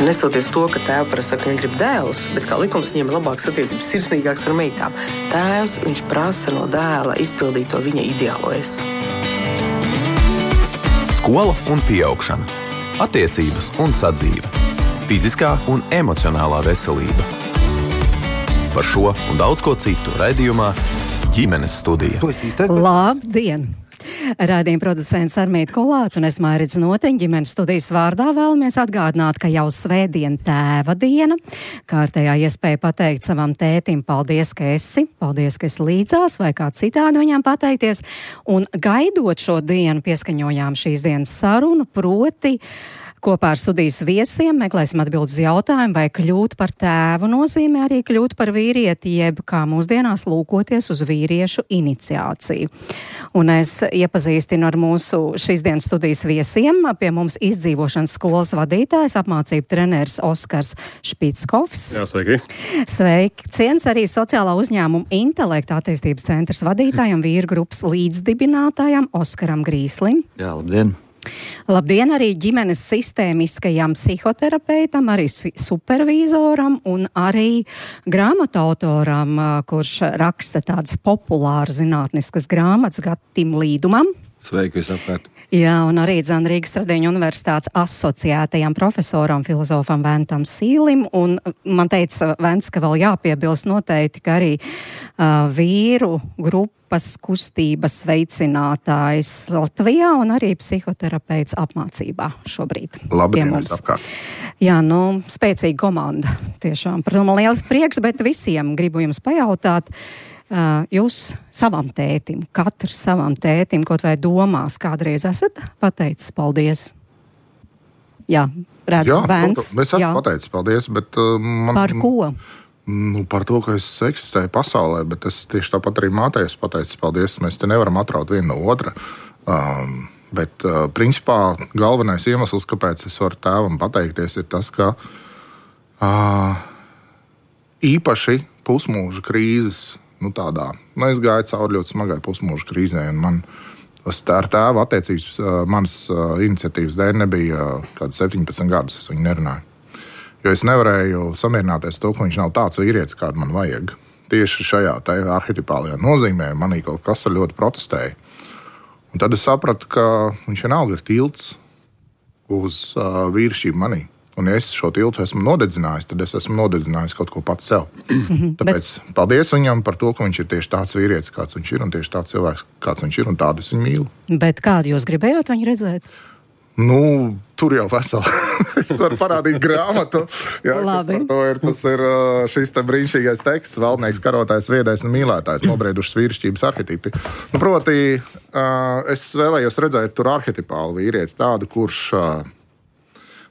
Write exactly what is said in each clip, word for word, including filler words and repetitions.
Nestoties to, ka tēva parasti saka, ka viņi grib dēlus, bet kā likums viņiem ir labākas attiecības, sirsnīgāks ar meitām. Tēvs, viņš prasa no dēla izpildīt to viņa ideālo es. Skola un pieaugšana. Attiecības un sadzīve. Fiziskā un emocionālā veselība. Par šo un daudz ko citu raidījumā Ģimenes studija. Labdien! Raidījuma producents Armīta Kolāta un es Mairits Noteņa Ģimenes studijas vārdā vēlamies atgādināt, ka jau svētdien tēva diena. Kārtējā iespēja pateikt savam tētim paldies, ka esi, paldies, ka esi līdzās vai kā citādi viņam pateikties. Un gaidot šo dienu pieskaņojām šīs dienas sarunu, proti kopā ar studijas viesiem meklēsim atbildes uz jautājumu, vai kļūt par tēvu nozīmē arī kļūt par vīrieti, jeb kā mūsdienās lūkoties uz vīriešu iniciāciju. Un es iepazīstinu ar mūsu šīs dienas studijas viesiem. Pie mums izdzīvošanas skolas vadītājs, apmācību treneris Oskars Špickovs. Jā, sveiki. Sveiki. Ciens arī sociālā uzņēmuma intelekta attīstības centrs vadītājam, vīru grupas līdzdibinātājam Oskaram Grīslim. Jā, labdien. Labdien arī ģimenes sistēmiskajam psihoterapeitam, arī supervīzoram un arī grāmatu autoram, kurš raksta tādas populāras zinātniskas grāmatas Gatim Līdumam. Sveiki visapkārt. Jā, un arī dzan Rīgas Tradiņu universitātes asociētajam profesoram, filozofam Ventam Sīlim. Un man teica Vents, ka vēl jāpiebilst noteikti, ka arī uh, vīru grupas kustības veicinātājs Latvijā un arī psihoterapeits apmācībā šobrīd. Labdien, visapkārt. Jā, nu, spēcīga komanda tiešām. Par to man liels prieks, bet visiem gribu jums pajautāt, Uh, jūs savam tētim, katrs savam tētim, kaut vai domās, kādreiz esat pateicis paldies? Jā, redzu, Vents. Jā, es esmu pateicis paldies, bet uh, man... Par ko? Nu, par to, ka es eksistēju pasaulē, bet es tieši tāpat arī mātei esmu pateicis paldies. Mēs te nevaram atraut vienu no otra. Um, bet, uh, principā, galvenais iemesls, kāpēc es varu tēvam pateikties, ir tas, ka uh, īpaši pusmūža krīzes Nu, tādā. Nu, es gāju cauri ļoti smagai pusmūža krīzē, un man ar tēvu attiecības manas iniciatīvas dēļ nebija kāds septiņpadsmit gadus, es viņu nerunāju. Jo es nevarēju samierināties to, ka viņš nav tāds vīrietis, kādu man vajag. Tieši šajā arhetipālajā nozīmē manī kaut kas ar ļoti protestēja. Un tad es sapratu, ka viņš vienalga ir tilts uz uh, vīrišķību manī. Un ja es šo tiltu esmu nodedzinājis, tad es esmu nodedzinājis kaut ko pats sev. Tāpēc paldies viņam par to, ka viņš ir tieši tāds vīrietis, kāds viņš ir, un tieši tāds cilvēks, kāds viņš ir, un tādu es viņu mīlu. Bet kādu jūs gribējāt viņu redzēt? Nu, tur jau veseli. Es varu parādīt grāmatu. Jā, Labi. Par to ir, tas ir šis te brīnišķīgais teksts, valdnieks, karotājs, viedais un mīlētājs, nobriedušas vīrišķības arhetipi. Nu, proti, es vēlējos redzēt tur arhetipālu vīrieti, tādu, kurš...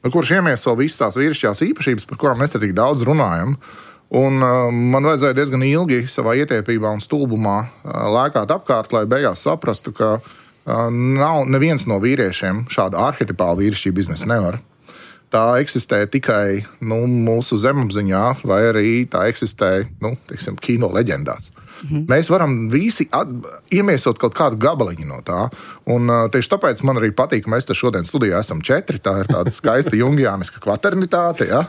Nu, kurš iemieso visas tās vīrišķās īpašības, par kurām mēs te tik daudz runājam. Un uh, man vajadzēja diezgan ilgi savā ietiepībā un stulbumā uh, lēkāt apkārt, lai beigās saprastu, ka uh, nav neviens no vīriešiem šādu arhetipālu vīrišķību iznest nevar. Tā eksistē tikai nu, mūsu zemapziņā, vai arī tā eksistē nu, teiksim, kino leģendās. Mm-hmm. Mēs varam visi at, iemiesot kaut kādu gabaliņu no tā. Un uh, tieši tāpēc man arī patīk, ka mēs te šodien studijā esam četri. Tā ir tāda skaista jungiāniska kvaternitāte. Ja?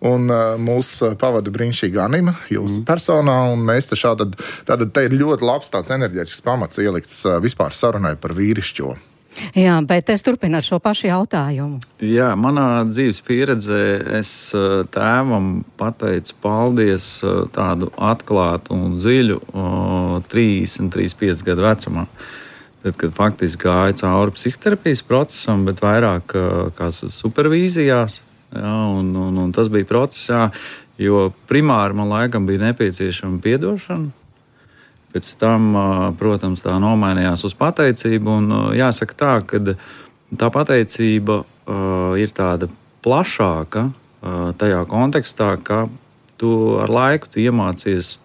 Un uh, mūs pavada brīnišķīga Anima jūsu mm. personā. Un mēs te šādi, tātad te ir ļoti labs tāds enerģētisks pamats ielikts uh, vispār sarunai par vīrišķo. Jā, bet es turpinu ar šo pašu jautājumu. Jā, manā dzīves pieredzē es tēvam pateicu paldies tādu atklātu un dziļu trīsdesmit, trīsdesmit pieci gadu vecumā. Tad, kad faktiski gāja cauri psihoterapijas procesam, bet vairāk kā supervīzijās. Jā, un, un, un tas bija process, jā, jo primāri man laikam bija nepieciešama piedošana. Pēc tam, protams, tā nomainījās uz pateicību. Un jāsaka tā, ka tā pateicība uh, ir tāda plašāka uh, tajā kontekstā, ka tu ar laiku tu iemācies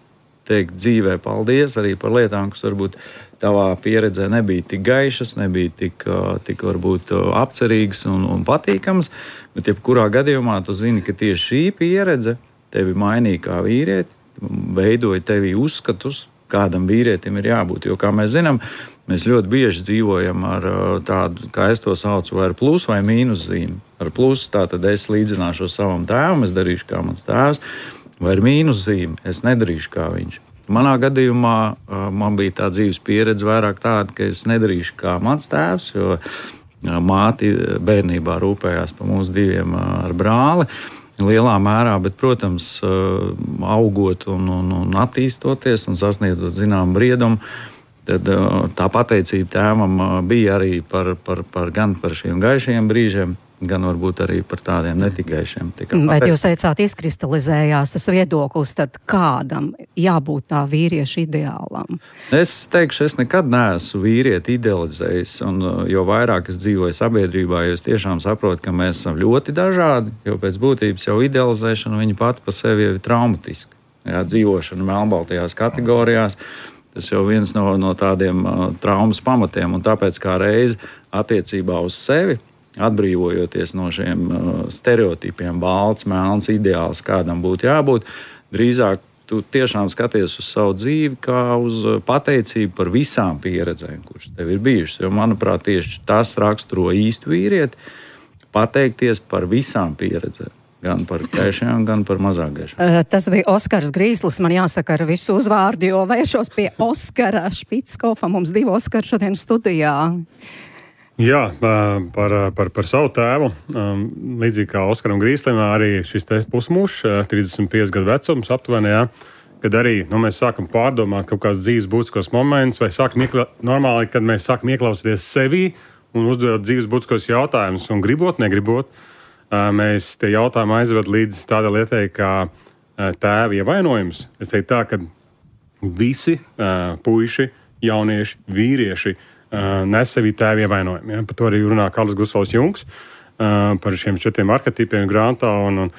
teikt dzīvē paldies arī par lietām, kas varbūt tavā pieredzē nebija tik gaišas, nebija tik, uh, tik varbūt uh, apcerīgas un, un patīkamas. Bet jebkurā gadījumā tu zini, ka tieši šī pieredze tevi mainīja kā vīrieti, veidoja tevī uzskatus, kādam vīrietim ir jābūt. Jo, kā mēs zinām, Mēs ļoti bieži dzīvojam ar tādu, kā es to saucu, vai ar plus vai mīnus zīmi. Ar plusu tātad es līdzināšos savam tēvam, es darīšu kā mans tēvs, vai ar mīnus zīmi es nedarīšu kā viņš. Manā gadījumā man bija tā dzīves pieredze vairāk tāda, ka es nedarīšu kā mans tēvs, jo māti bērnībā rūpējās par mums diviem ar brāli lielā mērā, bet, protams, augot un, un, un attīstoties un sasniedzot zinām briedumu, tad tā pateicība tēvam bija arī par, par, par, gan par šiem gaišajiem brīžiem, gan varbūt arī par tādiem netikaišiem. Bet jūs teicāt, izkristalizējās tas viedoklis, tad kādam jābūt tā vīrieša ideālam? Es teikšu, es nekad neesmu vīrieti idealizējis, un jo vairāk es dzīvoju sabiedrībā, jo es tiešām saprotu, ka mēs esam ļoti dažādi, jo pēc būtības jau idealizēšana viņa pati pa sevi jau ir traumatiska. Jā, dzīvošana melnbaltajās kategorijās, tas jau viens no, no tādiem uh, traumas pamatiem, un tāpēc kā reizi attiecībā uz sevi, atbrīvojoties no šiem uh, stereotipiem, balts, melns, ideāls, kādam būtu jābūt, drīzāk tu tiešām skaties uz savu dzīvi kā uz pateicību par visām pieredzēm, kuras tev ir bijušas. Jo, manuprāt, tieši tas raksturo īstu vīrieti, pateikties par visām pieredzēm. Gan par gaišiem, gan par mazāk gaišiem. Tas bija Oskars Grīslis, man jāsaka ar visu uzvārdu, jo vēršos pie Oskara Špickofa. Mums divi Oskari šodien studijā. Jā, par, par, par savu tēvu. Līdzīgi kā Oskaram Grīslim, arī šis te pusmūžs, trīsdesmit pieci gadu vecums aptuveni, jā, kad arī nu, mēs sākam pārdomāt kaut kāds dzīves būtiskos momentus, vai sākam iekla... normāli, kad mēs sākam ieklausīties sevī un uzdot dzīves būtiskos jautājumus, un gribot, negribot, mēs tie jautājumi aizved līdz tādai lietai, kā tēva ievainojums. Es teiktu tā, ka visi puiši, jaunieši, vīrieši nes sevī tēva ievainojumu. Ja? Par to arī runā Karls Gustavs Jungs, par šiem četriem arhetipiem grāmatā. Un, un,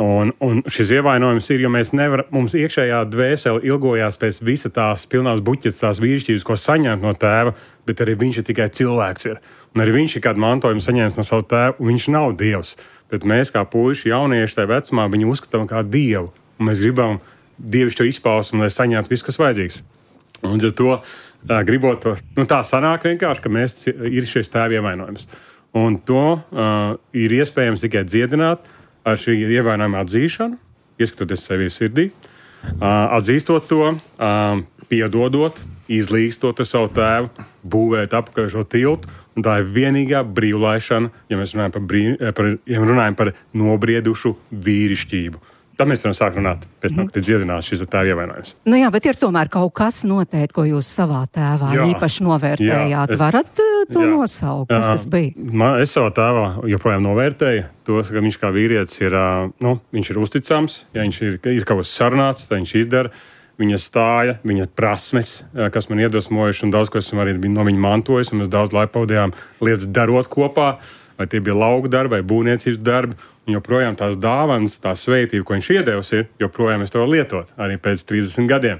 un, un šis ievainojums ir, jo mēs nevaram, mums iekšējā dvēsele ilgojās pēc visa tās pilnās buķetes, tās vīrišķības, ko saņemt no tēva, bet arī viņš ir tikai cilvēks. Ir. Un arī viņš ir kādu mantojumu saņēmis no savu tēvu, un viņš nav dievs. Bet mēs, kā puiši, jaunieši tajā vecumā, viņu uzskatām kā dievu. Un mēs gribam dievišķo izpausmu, lai saņemtu visu, kas vajadzīgs. Un ar to tā, gribot to, nu tā sanāk vienkārši, ka mēs ir šis tēva ievainojums. Un to uh, ir iespējams tikai dziedināt ar šī ievainojuma atzīšanu, ieskatoties sevī sirdī, uh, atzīstot to, uh, piedodot, izlīgstot ar savu tēvu, būvēt apakaļ šo tiltu. Un tā ir vienīgā brīvlaišana, ja mēs runājam par, brīv, par, ja runājam par nobriedušu vīrišķību. Tad mēs varam sākt runāt, pēc tam, kad ir dziedināts šis tēva ievainojums. Nu jā, bet ir tomēr kaut kas noteikti, ko jūs savā tēvā jā, īpaši novērtējāt. Jā, es, Varat uh, to jā, nosaukt, kas jā, tas bija? Man, es savā tēvā joprojām novērtēju to, ka viņš kā vīrietis ir, uh, nu, viņš ir uzticams, ja viņš ir, ir kaut kas sarunāts, tad viņš izdara. Viņa stāja, viņa prasmes, kas man iedvesmojuši, un daudz, ko esam arī no viņa mantojis, un mēs daudz laika pavadījām lietas darot kopā, vai tie bija lauka darbi, vai būvniecības darbi, un joprojām tās dāvanas, tā svētība, ko viņš iedevis ir, joprojām es to varu lietot, arī pēc trīsdesmit gadiem.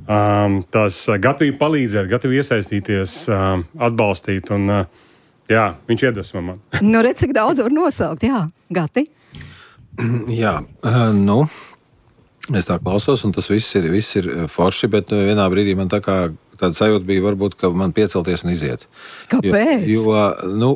Um, tās gatavība palīdzēt, gatavība iesaistīties, um, atbalstīt, un uh, jā, viņš iedvesmo man. Nu, redz, cik daudz var nosaukt, jā, Gati? Jā, uh, nu... Es tā klausos, un tas viss ir, viss ir forši, bet vienā brīdī man tā kā tāda sajūta bija, varbūt, ka man piecelties un iziet. Kāpēc? Jo, jo nu,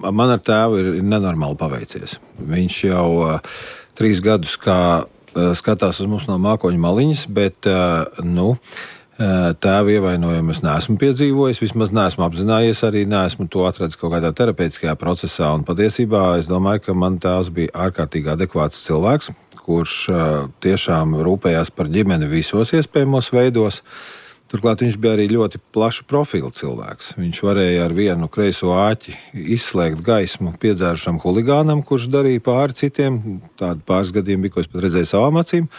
man ar tēvu ir nenormāli paveicies. Viņš jau uh, trīs gadus kā uh, skatās uz mums no mākoņa maliņas, bet, uh, nu, uh, tēva ievainojumu es neesmu piedzīvojis, vismaz neesmu apzinājies, arī neesmu to atradis kaut kādā terapeitiskajā procesā, un patiesībā es domāju, ka man tēvs bija ārkārtīgi adekvāts cilvēks, kurš uh, tiešām rūpējās par ģimeni visos iespējamos veidos. Turklāt viņš bija arī ļoti plaša profila cilvēks. Viņš varēja ar vienu kreiso āķi izslēgt gaismu piedzērušam huligānam, kurš darīja pāri citiem. Tādi pāris gadiem bija, ko es pat redzēju savām acīm.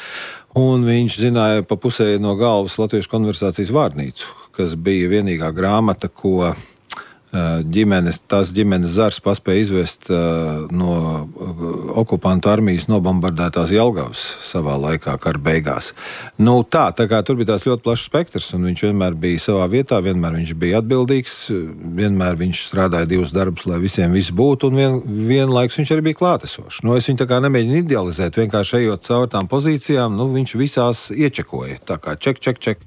Un viņš zināja pa pusē no galvas Latviešu konversācijas vārnīcu, kas bija vienīgā grāmata, ko ģimenes, tās ģimenes zars paspēja izvest uh, no okupantu armijas nobombardētās Jelgavas savā laikā kara beigās. Nu, tā, tā kā tur bija tās ļoti plašs spektrs, un viņš vienmēr bija savā vietā, vienmēr viņš bija atbildīgs, vienmēr viņš strādāja divus darbus, lai visiem viss būtu, un vien, vienlaiks viņš arī bija klātesošs. Nu, es viņu tā kā nemēģinu idealizēt, vienkārši ejot caur tām pozīcijām, nu, viņš visās iečekoja, tā kā ček, ček, ček.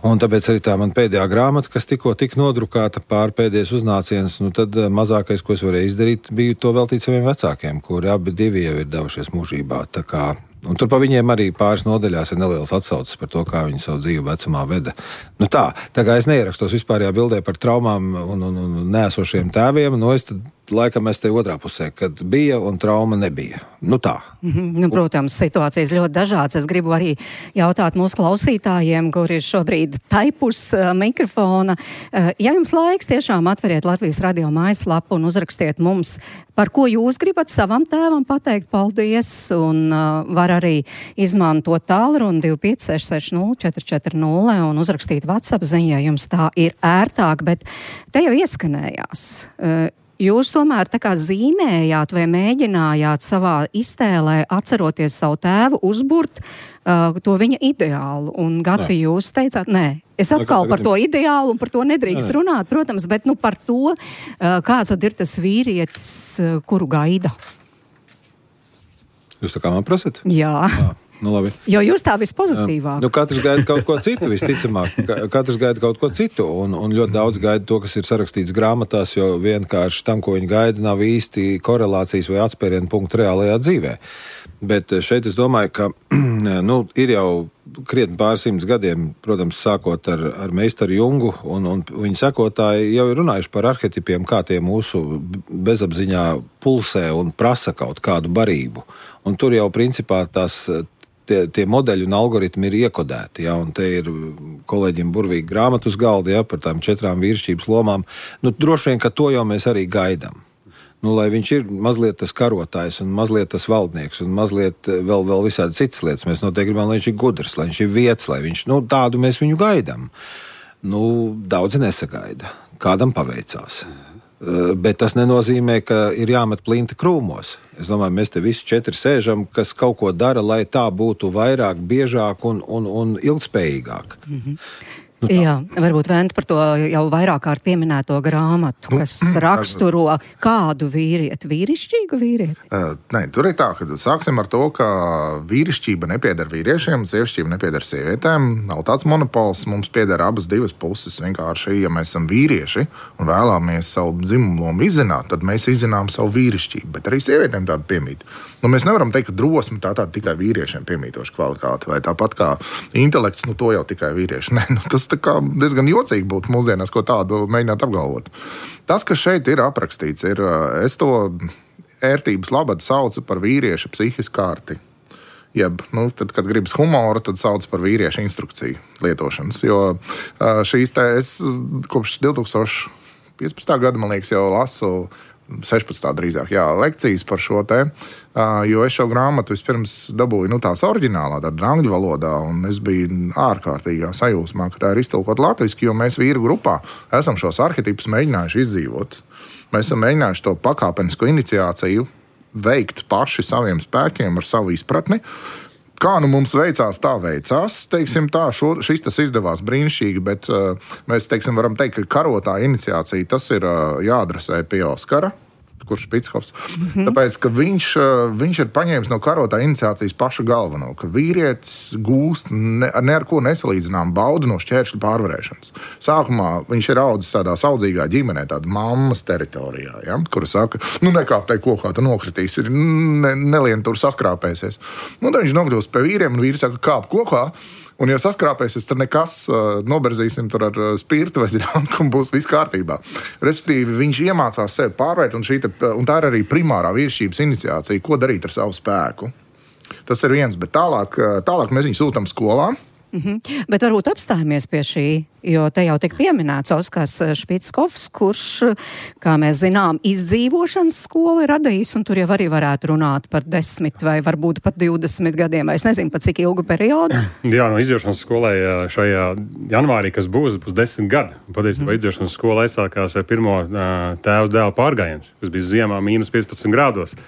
Un tāpēc arī tā man pēdējā grāmata, kas tikko tik nodrukāta pār pēdējais uznāciens, nu, tad mazākais, ko es varēju izdarīt, bija to veltīt saviem vecākiem, kuri abi divi jau ir devušies mūžībā. Tā kā, un tur pa viņiem arī pāris nodaļās ir nelielas atsauces par to, kā viņi savu dzīvi vecumā veda. Nu tā, tā kā es neierakstos vispārējā bildē par traumām un, un, un neesošiem tēviem, nu es tad laikam es te otrā pusē, kad bija un trauma nebija. Nu tā. Mm-hmm. Nu, protams, situācijas ļoti dažādas. Es gribu arī jautāt mūsu klausītājiem, kuri ir šobrīd taipus uh, mikrofona. Uh, ja jums laiks, tiešām atveriet Latvijas radio mājaslapu un uzrakstiet mums, par ko jūs gribat savam tēvam pateikt paldies, un uh, var arī izmantot tālruni divi pieci seši seši nulle četri četri nulle un uzrakstīt WhatsApp ziņā, ja jums tā ir ērtāk, bet te jau ieskanējās. Uh, Jūs tomēr tā kā zīmējāt vai mēģinājāt savā iztēlē, atceroties savu tēvu, uzburt uh, to viņa ideālu. Un, Gati, nē. Jūs teicāt, nē, es atkal par to ideālu un par to nedrīkst nē. runāt, protams, bet nu par to, uh, kāds tad ir tas vīrietis, uh, kuru gaida. Jūs tā kā man prasat? Jā. Jā. Nu, labi. Jo jūs tā vispozitīvāk. Nu, katrs gaida kaut ko citu, visticamāk. Katrs gaida kaut ko citu, un, un ļoti daudz gaida to, kas ir sarakstīts grāmatās, jo vienkārši tam, ko viņi gaida, nav īsti korelācijas vai atspērienu punktu reālajā dzīvē. Bet šeit es domāju, ka nu, ir jau krietni pāris simts gadiem, protams, sākot ar, ar meistaru Jungu, un, un viņa sekotāji jau ir runājuši par arhetipiem, kā tie mūsu bezapziņā pulsē un prasa kaut kādu barību. Un tur jau principā tās Tie, tie modeļi un algoritmi ir iekodēti, ja, un te ir kolēģiem burvīgi grāmatu uz galda, ja, par tām četrām vīrišķības lomām. Nu, droši vien, ka to jau mēs arī gaidām. Nu, lai viņš ir mazliet tas karotājs un mazliet tas valdnieks un mazliet vēl, vēl visādi citas lietas. Mēs noteikti gribam, lai viņš ir gudrs, lai viņš ir vietas, lai viņš, nu, tādu mēs viņu gaidām. Nu, daudzi nesagaida. Kādam paveicās. Bet tas nenozīmē, ka ir jāmet plinti krūmos. Es domāju, mēs te visi četri sēžam, kas kaut ko dara, lai tā būtu vairāk, biežāk un, un, un ilgspējīgāk. Mm-hmm. Nu, jā, varbūt Vent par to jau vairāk kārt pieminēto grāmatu, kas nu, raksturo kādu vīrieti, vīrišķīgu vīrieti? Uh, nē, tur ir tā, ka sāksim ar to, ka vīrišķība nepieder vīriešiem, sievišķība nepieder sievietēm. Nav tāds monopols, mums pieder abas divas puses. Vienkārši, ja mēs esam vīrieši un vēlamies savu dzimumu lomu izzināt, tad mēs izzinām savu vīrišķību, bet arī sievietēm tādu piemīt. Nu, mēs nevaram teikt, ka drosme tā tāda tikai vīriešiem piemītoša kvalitāte, vai tāpat kā intelekts, nu to jau tikai vīrieši. Nē, nu, tas tā kā diezgan jocīgi būtu mūsdienās, ko tādu mēģināt apgalvot. Tas, kas šeit ir aprakstīts, ir, es to ērtības labad saucu par vīrieša psihisku kārti. Jeb, nu, tad, kad gribas humoru, tad sauc par vīrieša instrukciju lietošanas. Jo šīs te es kopš divi tūkstoši piecpadsmitā gada, man liekas, jau lasu sešpadsmitā drīzāk, jā, lekcijas par šo te, jo es šo grāmatu vispirms dabūju, nu, tās oriģinālā, tāda angļu valodā, un es biju ārkārtīgā sajūsmā, ka tā ir iztulkot latviski, jo mēs vīru grupā esam šos arhetipus mēģinājuši izdzīvot. Mēs esam mēģinājuši to pakāpenisko iniciāciju veikt paši saviem spēkiem ar savu izpratni. Kā nu mums veicās, tā veicās, teiksim tā, šo, šis tas izdevās brīnišķīgi, bet uh, mēs, teiksim, varam teikt, ka karotāja iniciācija, tas ir uh, jāadresē pie Oskara, kurš Špichovs, mm-hmm. tāpēc, ka viņš, uh, viņš ir paņēmis no karotāja iniciācijas pašu galveno, ka vīrietis gūst ne, ne ar ko nesalīdzinām baudu no šķēršļu pārvarēšanas. Sākumā viņš ir audzis tādā saudzīgā ģimenē, tāda mammas teritorijā, ja, kura saka, nu nekāp tai kokā, tu nokritīs, ir ne, nelien tur saskrāpēsies. Nu, tad viņš nokļūst pie vīriem, un vīri saka, kāp kokā, un ja saskrāpēsies, tad nekas, noberzīsim tur ar spirtu vai zinām, ka būs viss kārtībā. Respektīvi, viņš iemācās sevi pārvērt, un, šī te, un tā ir arī primārā vīrišķības iniciācija, ko darīt ar savu spēku. Tas ir viens, bet tālāk, tālāk mēs viņu sūtam skolā. Mm-hmm. Bet varbūt apstājamies pie šī, jo te jau tik pieminēts Oskars Špickovs, kurš, kā mēs zinām, izdzīvošanas skolu ir radījis, un tur jau arī varētu runāt par desmit vai varbūt pat divdesmit gadiem, vai es nezinu, pat cik ilgu periodu. Jā, no izdzīvošanas skolai šajā janvārī, kas būs, būs desmit gadi. Patiesībā mm. izdzīvošanas skola aizsākās ar pirmo tēvs dēla pārgājiens, kas bija ziemā mīnus piecpadsmit grādos.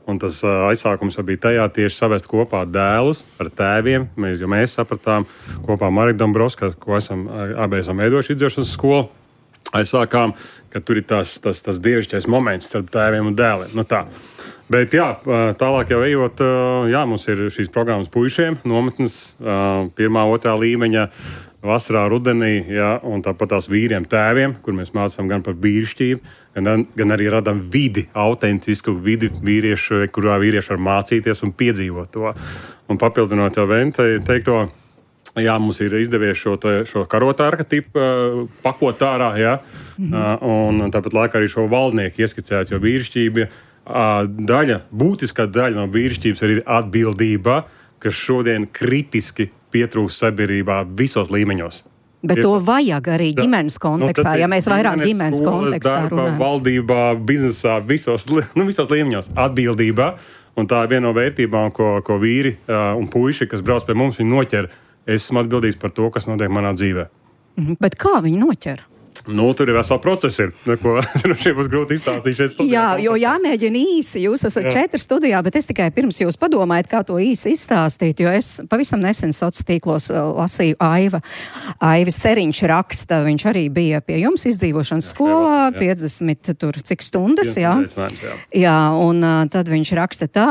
Un tas uh, aizsākums bija tajā tieši savest kopā dēlus ar tēviem. Mēs, jo mēs sapratām kopā ar Mariku Dombrovsku, ko esam abi esam veidojuši izdzīvošanas skolu, aizsākām, ka tur ir tas, tas, tas dievišķais moments starp tēviem un dēliem. Nu tā. Bet jā, tālāk jau ejot, jā, mums ir šīs programmas puišiem, nometnes, pirmā, otrā līmeņa, vasarā, rudenī, jā, un tāpat tās vīriem tēviem, kur mēs mācām gan par vīrišķību, gan, gan arī radām vidi, autentisku vidi vīriešu, kurā vīrieši var mācīties un piedzīvot to. Un papildinot jau Vente teikto, jā, mums ir izdevies šo, šo karotu arhetipu uh, pakot ārā, jā, mm-hmm. uh, un tāpat laikā arī šo valdnieku ieskicēt, jo vīrišķība uh, daļa, būtiskā daļa no vīrišķības ir atbildība, kas šodien kritiski pietrūkst sabiedrībā visos līmeņos. Bet to vajag arī ģimenes kontekstā, nu, ja mēs vairāk ģimenes kontekstā darba, runājam. Valdībā, biznesā, visos, nu, visos līmeņos atbildībā, un tā ir viena no vērtībām, ko, ko vīri uh, un puiši, kas brauc pie mums, viņi noķer. Es esmu atbildīgs par to, kas notiek manā dzīvē. Mm-hmm. Bet kā viņi noķer? Nu, tur ir vesela procesa, ko šeit būs grūti izstāstīt šeit studijā. Jā, jo jāmēģina īsi. Jūs esat Jā. četri studijā, bet es tikai pirms jūs padomājat, kā to īsi izstāstīt, jo es pavisam nesen sociālos tīklos lasīju Aiva. Aivis Ceriņš raksta, viņš arī bija pie jums izdzīvošanas jā, skolā, jā. piecdesmit tur cik stundas, jā. jā. Jā, un uh, tad viņš raksta tā,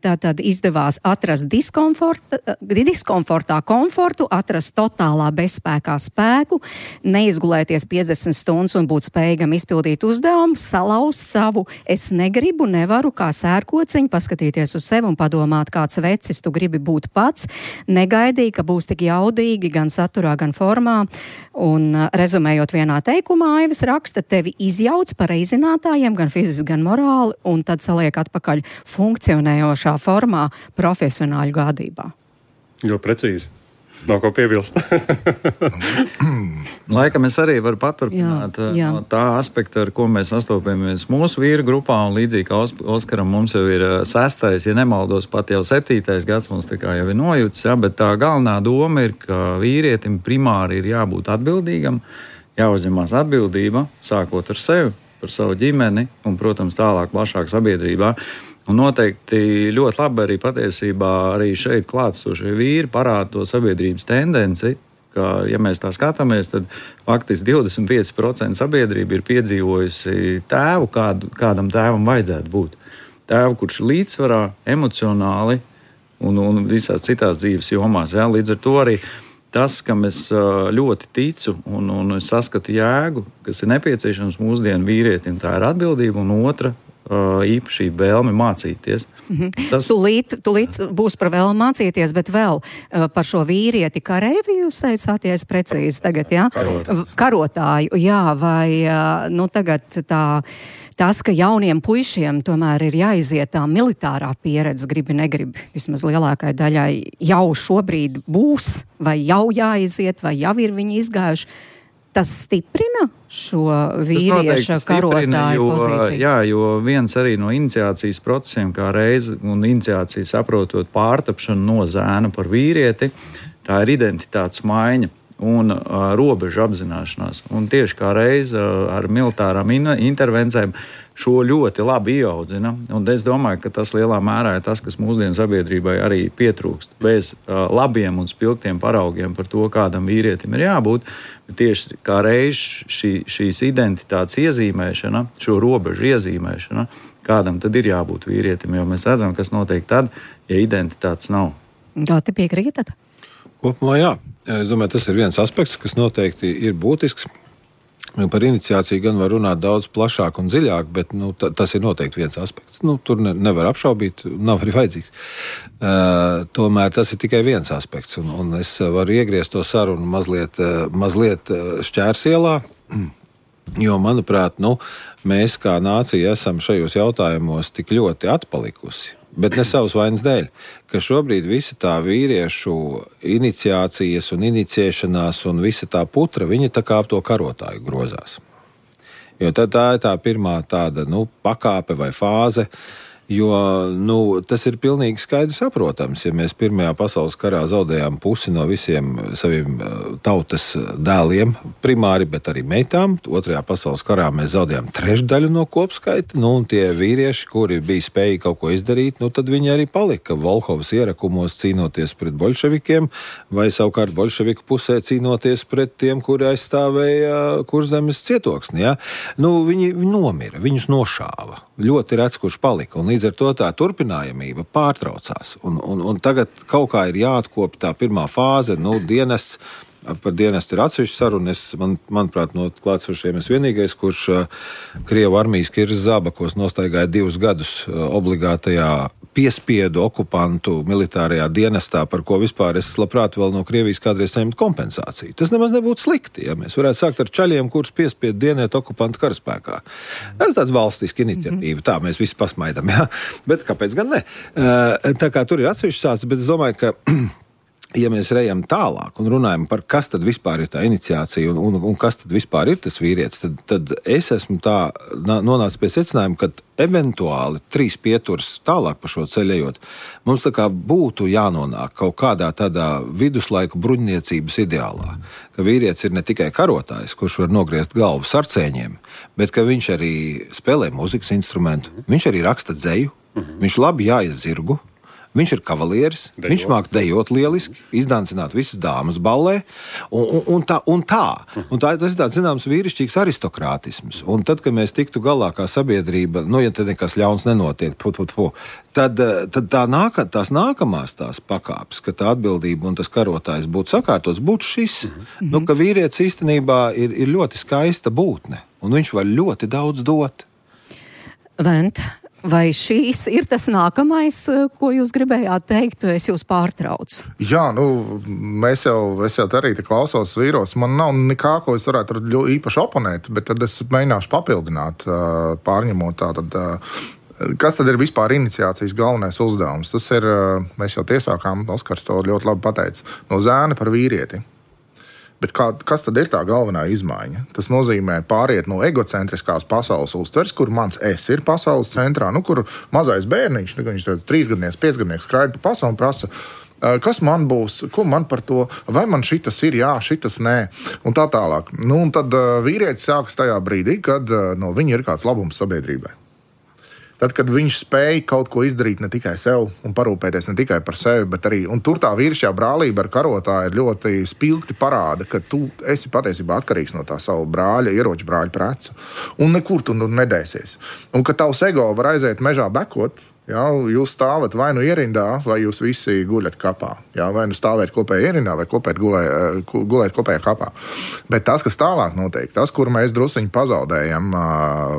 tā tad izdevās atrast diskomforta, diskomfortā komfortu, atrast totālā bezspēkā spēku, neizgulēties piecdesmit stundas un būt spējīgam izpildīt uzdevumu, salauzt savu es negribu, nevaru kā sērkociņu, paskatīties uz sevi un padomāt, kāds vecis tu gribi būt pats, negaidīja, ka būs tik jaudīgi gan saturā, gan formā. Un rezumējot vienā teikumā, Aivis raksta, tevi izjauc par reizinātājiem, gan fiziski, gan morāli, un tad saliek atpakaļ funkcionējošā formā profesionāļu gādībā. Jo precīzi. Nav ko piebilst. Laikam es arī varu paturpināt jā, jā. no tā aspekta, ar ko mēs sastopamies mūsu vīru grupā, un līdzīgi kā Oskaram mums jau ir sestais, ja nemaldos, pat jau septītais gads mums tā kā jau ir nojūts, ja, bet tā galvenā doma ir, ka vīrietim primāri ir jābūt atbildīgam, jāuzņemās atbildība, sākot ar sevi, par savu ģimeni un, protams, tālāk plašāk sabiedrībā. Un noteikti ļoti labi arī patiesībā arī šeit klātsošie vīri parāda to sabiedrības tendenci, ka, ja mēs tā skatāmies, tad faktiski divdesmit pieci procenti sabiedrība ir piedzīvojusi tēvu, kādu, kādam tēvam vajadzētu būt. Tēvu, kurš ir līdzsvarā, emocionāli un, un visās citās dzīves jomās. Ja? Līdz ar to arī tas, kam es ļoti ticu un, un es saskatu jēgu, kas ir nepieciešams mūsdienu vīrietim, tā ir atbildība, un otra īpašība vēlme mācīties. Mm-hmm. Tas... Tulīt, tulīt būs par vēlmu mācīties, bet vēl uh, par šo vīrieti kareivi jūs teicāt, ja es precīzi tagad, jā? Karotāju. Karotāju, jā, vai uh, nu tagad tā, tas, ka jauniem puišiem tomēr ir jāiziet tā militārā pieredze, gribi, negribi, vismaz lielākai daļai jau šobrīd būs, vai jau jāiziet, vai jau ir viņi izgājuši. Tas stiprina šo vīrieša karotāju pozīciju? Jā, jo viens arī no iniciācijas procesiem, kā reize, un iniciācija saprotot pārtapšanu no zēna par vīrieti, tā ir identitātes maiņa un uh, robežu apzināšanās. Un tieši kā reize uh, ar militārām in- intervencēm šo ļoti labi ieaudzina. Un es domāju, ka tas lielā mērā ir tas, kas mūsdienu sabiedrībai arī pietrūkst. Bez uh, labiem un spilgtiem paraugiem par to, kādam vīrietim ir jābūt, bet tieši kā reize šī, šīs identitātes iezīmēšana, šo robežu iezīmēšana, kādam tad ir jābūt vīrietim, jo mēs redzam, kas notiek tad, ja identitātes nav. Kā te piekrītat? Kopumā jā. Es domāju, tas ir viens aspekts, kas noteikti ir būtisks. Par iniciāciju gan var runāt daudz plašāk un dziļāk, bet nu, t- tas ir noteikti viens aspekts. Nu, tur ne, nevar apšaubīt, nav arī vajadzīgs. Uh, tomēr tas ir tikai viens aspekts, un, un es varu iegriezt to sarunu mazliet, uh, mazliet šķērsielā, jo, manuprāt, nu, mēs kā nācija esam šajos jautājumos tik ļoti atpalikusi. Bet ne savas vainas dēļ, ka šobrīd visa tā vīriešu iniciācijas un iniciēšanās un visa tā putra, viņa tā kā ap to karotāju grozās. Jo tā, tā ir tā pirmā tāda, nu, pakāpe vai fāze, Jo nu, tas ir pilnīgi skaidrs saprotams. Ja mēs Pirmajā pasaules karā zaudējām pusi no visiem saviem tautas dēliem, primāri, bet arī meitām, Otrajā pasaules karā mēs zaudējām trešdaļu no kopskaita, nu, un tie vīrieši, kuri bija spējīgi kaut ko izdarīt, nu, tad viņi arī palika Volhovas ierakumos cīnoties pret boļševikiem, vai savukārt boļševiku pusē cīnoties pret tiem, kuri aizstāvēja Kurzemes cietoksni. Ja? Nu, viņi, viņi nomira, viņus nošāva. Ļoti rets, kurš palika, un līdz ar to tā turpinājamība pārtraucās. Un, un, un tagad kaut kā ir jāatkopja tā pirmā fāze, nu, dienests. Par dienestu ir atsevišķa saruna. Es, man, manuprāt, no klātsošiem es vienīgais, kurš uh, Krievu armijas Kirs Zābakos nostaigāja divus gadus uh, obligātajā piespiedu okupantu militārajā dienestā, par ko vispār es labprāt vēl no Krievijas kādreiz saņemt kompensāciju. Tas nemaz nebūtu slikti, ja mēs varētu sākt ar čaļiem, kurus piespiedu dienēt okupantu karaspēkā. Tas ir tāds valstiski iniciatīva, mm-hmm. tā mēs visi pasmaidam, jā. Bet kāpēc gan ne? Uh, tā kā tur ir atsevišķa sācis, bet es domāju, ka ja mēs rejam tālāk un runājam par kas tad vispār ir tā iniciācija un, un, un kas tad vispār ir tas vīrietis, tad, tad es esmu tā nonācis pie secinājuma, ka eventuāli trīs pieturas tālāk pa šo ceļu ejot, mums tā kā būtu jānonāk kaut kādā tādā viduslaiku bruņniecības ideālā, ka vīrietis ir ne tikai karotājs, kurš var nogriezt galvu sarcēņiem, bet ka viņš arī spēlē muzikas instrumentu, viņš arī raksta dzeju, viņš labi jāiz zirgu, viņš ir kavalieris, dejot. Viņš māk dejot lieliski, izdancināt visas dāmas ballē, un, un, un tā, un tā. Un tā tas ir tāds, zināms, vīrišķīgs aristokrātisms. Un tad, kad mēs tiktu galā kā sabiedrība, nu, ja tad nekas ļauns nenotiek, pu, pu, pu, tad, tad tā nāka, tās nākamās tās pakāpes, ka tā atbildība un tas karotājs būtu sakārtots, būtu šis, mm-hmm. nu, ka vīrietis īstenībā ir, ir ļoti skaista būtne, un viņš var ļoti daudz dot. Vent. Vai šīs ir tas nākamais, ko jūs gribējāt teikt, es jūs pārtraucu? Jā, nu, mēs jau, es jau arī te klausos vīros, man nav nekā, ko es varētu īpaši oponēt, bet tad es mēģināšu papildināt, pārņemot tātad, kas tad ir vispār iniciācijas galvenais uzdevums. Tas ir, mēs jau tiesākām, Oskars to ļoti labi pateica, no zēna par vīrieti. Bet kā, kas tad ir tā galvenā izmaiņa? Tas nozīmē pāriet no egocentriskās pasaules uztvers, kur mans es ir pasaules centrā, nu, kur mazais bērniņš, nu, viņš tāds trīsgadnieks, piecgadnieks skraida pa pasauli un prasa, kas man būs, ko man par to, vai man šitas ir, jā, šitas nē, un tā tālāk. Nu, un tad vīrietis sākas tajā brīdī, kad no viņa ir kāds labums sabiedrībai. Tad, kad viņš spēja kaut ko izdarīt ne tikai sev un parūpēties ne tikai par sevi, bet arī, un tur tā vīrišķā brālība ar karotāju ir ļoti spilgti parāda, ka tu esi patiesībā atkarīgs no tā savu brāļa, ieroču brāļa precu, un nekur tu nu nedēsies. Un ka tavs ego var aiziet mežā bekot, jā, jūs stāvat vai nu ierindā, vai jūs visi guļat kapā. Jā, vai nu stāvēt kopējā ierindā, vai kopēt gulē, gulēt kopējā kapā. Bet tas, kas tālāk notiek, tas, kur mēs drusiņi pazaudējam uh,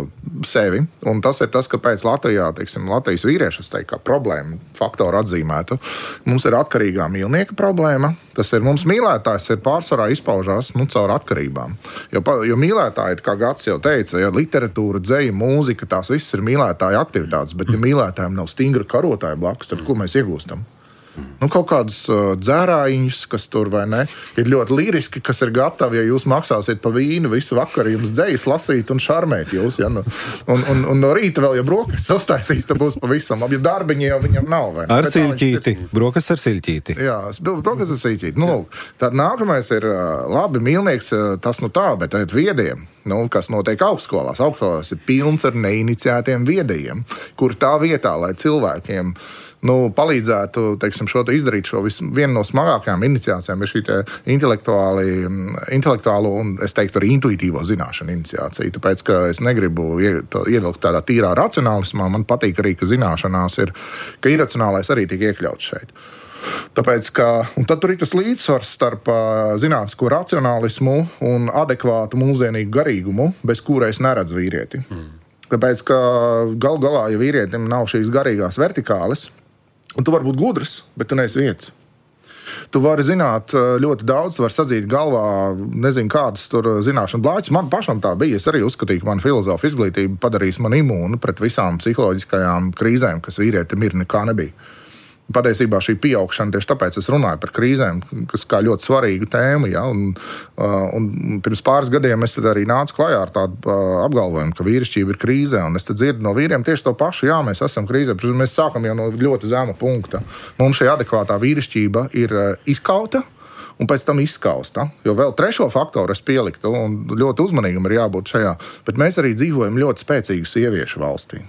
sevi, un tas ir tas, ka pēc Latvijā, teiksim, Latvijas vīriešas, teik, kā problēma faktoru atzīmētu, mums ir atkarīgā mīlnieka problēma. Tas ir mums mīlētājs ir pārsvarā izpaužās, nu, caur atkarībām. Jo, jo mīlētāji, kā Gats jau teica, ja literatūra, dzeja, mūzika, tās viss ir mīlētāja aktivitātes, bet ja mīlētājiem nav stingra karotāja blakus, tad ko mēs iegūstam? Nu, kaut kādus uh, dzērājiņus, kas tur vai ne, ir ļoti liriski, kas ir gatavi, ja jūs maksāsiet pa vīnu visu vakaru, jums dzejas lasīt un šarmēt jūs, ja, nu, un, un, un no rīta vēl, ja brokas uztaisīs, tad būs pavisam labi, ja darbiņi jau viņam nav, vai ne? Ar siļķīti, brokas ar siļķīti. Jā, brokas ar siļķīti. Nu, tad nākamais ir uh, labi, mīlnieks, uh, tas nu tā, bet tad viediem, nu, kas notiek augstskolās. Augstskolās ir pilns ar neiniciētiem viedajiem, kur tā vietā, lai cilvēkiem nu, palīdzētu, teiksim, šo te izdarīt šo vis, vienu no smagākajām iniciācijām ir šī te intelektuālo un, es teiktu, arī intuitīvo zināšanu iniciācija. Tāpēc, ka es negribu ie, to, ievilkt tādā tīrā racionālismā, man patīk arī, ka zināšanās ir, ka iracionālais arī tiek iekļauts šeit. Tāpēc, ka, un tad tur ir tas līdzsvars starp uh, zinātnisko racionālismu un adekvātu mūsdienīgu garīgumu, bez kura es neredzu vīrieti. Mm. Tāpēc, ka gal galā, ja vīrietim nav šīs garīgās vertikāles, un tu vari būt gudrs, bet tu neesi vietas. Tu vari zināt ļoti daudz, tu vari sadzīt galvā, nezinu, kādas tur zināšana blāķis. Man pašam tā bija. Es arī uzskatīju, ka man filozofa izglītība padarīs man imūnu pret visām psiholoģiskajām krīzēm, kas vīrietim ir, nekā nebija. Patiesībā šī pieaugšana, tieši tāpēc es runāju par krīzēm, kas kā ļoti svarīgu tēmu. Ja? Un, un pirms pāris gadiem es tad arī nācu klajā ar tādu apgalvojumu, ka vīrišķība ir krīzē. Un es tad dzirdu no vīriem tieši to pašu, jā, mēs esam krīzē. Mēs sākam jau no ļoti zema punkta. Mums šī adekvātā vīrišķība ir izkauta un pēc tam izskausta. Jo vēl trešo faktoru es pieliktu, un ļoti uzmanīgam ir jābūt šajā. Bet mēs arī dzīvojam ļoti spēcīgu sieviešu valstī.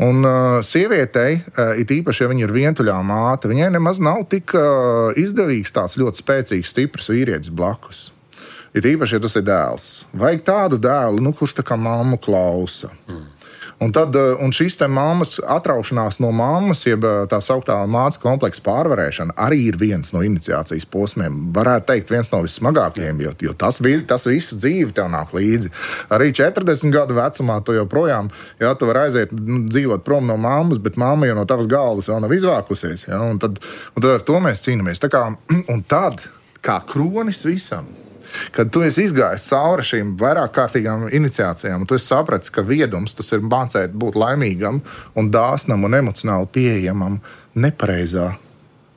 Un uh, sievietei, uh, it īpaši, ja viņa ir vientuļā māte, viņai nemaz nav tik uh, izdevīgs tāds ļoti spēcīgs, stiprs vīrietis blakus. It īpaši, ja tas ir dēls. Vajag tādu dēlu, nu, kurš tā kā mammu klausa. Mm. Un, tad, uh, un šīs te mammas atraušanās no mammas, jeb tā sauktā mātes kompleksa pārvarēšana, arī ir viens no iniciācijas posmiem. Varētu teikt, viens no vissmagākajiem, jo, jo tas, tas visu dzīvi tev nāk līdzi. Arī četrdesmit gadu vecumā tu joprojām, jā, tu vari aiziet dzīvot prom no mammas, bet mamma jau no tavas galvas vēl nav izvākusies. Jā, un, tad, un tad ar to mēs cīnāmies. Tā kā, un tad, kā kronis visam, kad tu esi izgājis cauri šīm vairāk kārtīgām iniciācijām, un tu esi sapratis, ka viedums tas ir mācēt būt laimīgam un dāsnam un emocionāli pieejamam nepareizā,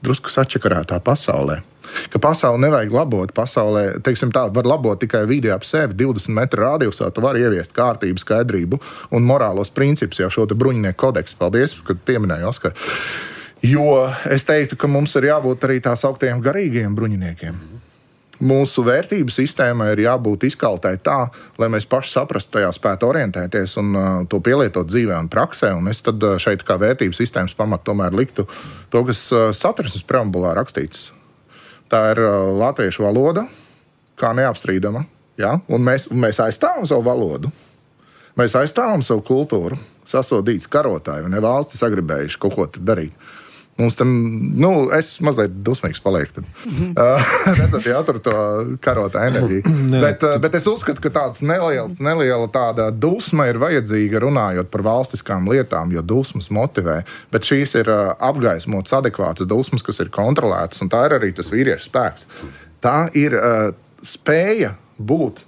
drusku sačakarētā pasaulē. Ka pasauli nevajag labot, pasaulē, teiksim tā, var labot tikai vidi ap sevi, divdesmit metru radiusā, tu vari ieviest kārtību, skaidrību un morālos principus, jau šo te bruņinieku kodeksu. Paldies, kad pieminēju Oskaru. Jo es teiktu, ka mums ir jābūt arī tās augtajiem garīgajiem bruņiniekiem. Mūsu vērtību sistēmai ir jābūt izkaltai tā, lai mēs paši saprastu tajā spētu orientēties un uh, to pielietot dzīvē un praksē. Un es tad uh, šeit kā vērtību sistēmas pamatu tomēr liktu to, kas uh, satversmes preambulā rakstīts. Tā ir uh, latviešu valoda, kā neapstrīdama. Ja? Un mēs, un mēs aizstāvam savu valodu. Mēs aizstāvam savu kultūru. Sasodīts karotāji un ne valsti sagribējuši kaut ko darīt. Mums tam, nu, es mazliet dusmīgs palieku. Mm-hmm. Uh, tad jātur to karotā enerģiju. bet, uh, bet es uzskatu, ka tāds neliels, neliela tāda dusma ir vajadzīga runājot par valstiskām lietām, jo dusmas motivē. Bet šīs ir uh, apgaismotas, adekvātas dusmas, kas ir kontrolētas, un tā ir arī tas vīriešu spēks. Tā ir uh, spēja būt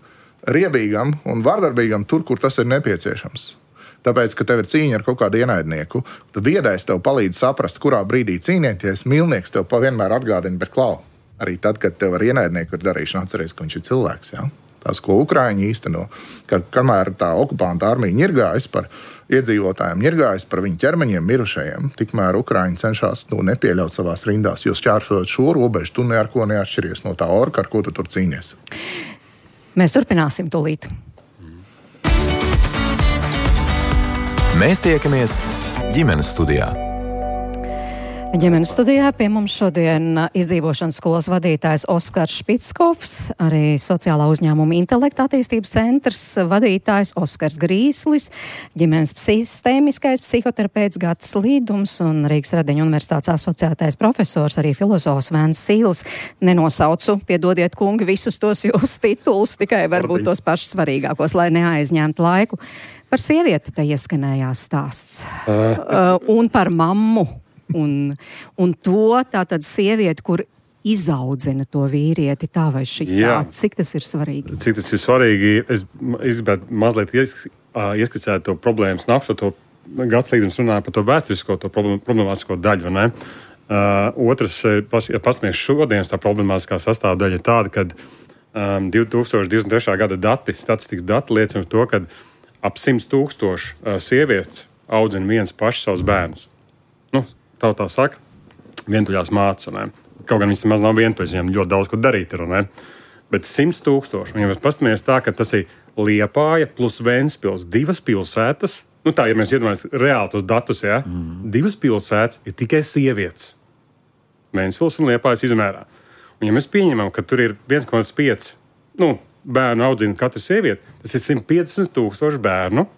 riebīgam un vardarbīgam tur, kur tas ir nepieciešams. Tāpēc, ka tev ir cīņa ar kaut kādu ienaidnieku, tad viedais tev palīdz saprast, kurā brīdī cīnieties, mīlnieks tev vienmēr atgādina, bet klau, arī tad, kad tev ar ienaidnieku ir darīšana, atceries, ka viņš ir cilvēks. Ja? Tas, ko Ukraiņi īsteno, ka kamēr tā okupanta armija ņirgājas par iedzīvotājiem, ņirgājas par viņu ķermeņiem mirušajiem, tikmēr Ukraiņi cenšas nu, nepieļaut savās rindās, jo šķērsot šo robežu, tu ne ar ko neatšķiries no tā orka, ar ko tu tur cīnies. Mēs turpināsim tūlīt. Mēs tiekamies ģimenes studijā. Ģimenes studijā pie mums šodien izdzīvošanas skolas vadītājs Oskars Špickovs, arī sociālā uzņēmuma intelekta attīstības centrs vadītājs Oskars Grīslis, ģimenes sistēmiskais psihoterapeits Gatis Līdums un Rīgas Radiņu universitātes asociētais profesors, arī filozofs Vēns Sīls. Nenosaucu, piedodiet kungi, visus tos jūsu titulus, tikai varbūt tos pašus svarīgākos, lai neaizņemtu laiku. Par sievieti te ieskanējās stāsts. Uh, un par mammu. Un, un to tātad sievieti, kur izaudzina to vīrieti, tā vai šī tā, cik tas ir svarīgi? Cik tas ir svarīgi, es, es gribētu mazliet ieskicēt to problēmas nākšo, to Gatis Līdums runāja par to vēsturisko, to problemātisko daļu, vai ne? Uh, otrs, ja paskatāmies šodienas tā problemātiskā sastāvdaļa ir tāda, ka um, divi tūkstoši divdesmit trešā gada dati, statistikas dati liecina to, ka ap simts tūkstoši uh, sievietes audzina viens paši savus bērnus. Nu, tautā saka, vientuļās mātes. Ne? Kaut gan viņas maz nav vientuļas, viņam ļoti daudz ko darīt ir. Ne? Bet simts tūkstoši. Un ja mēs pastamies tā, ka tas ir Liepāja plus Ventspils, divas pilsētas. Nu tā, ja mēs iedomājamies reāli tos datus, ja? Mm. Divas pilsētas ir tikai sievietes. Ventspils un Liepājas izmērā. Un ja mēs pieņemam, ka tur ir viens komats pieci nu, bērnu audzina katra sieviete, tas ir simt piecdesmit tūkstoši bērnu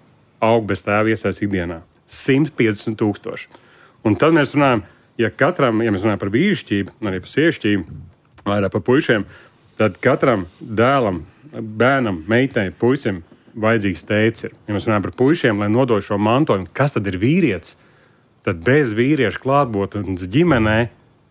aug bez tēva iesaist ikdienā. simt piecdesmit tūkstoši. Un tad mēs runājam, ja katram, ja mēs runājam par vīrišķību, arī par sievišķību, vai par puišiem, tad katram dēlam, bērnam, meitei, puisim vajadzīgs tēvs ir. Ja mēs runājam par puišiem, lai nodod šo mantojumu, kas tad ir vīrietis, tad bez vīrieša klātbūtnes ģimenē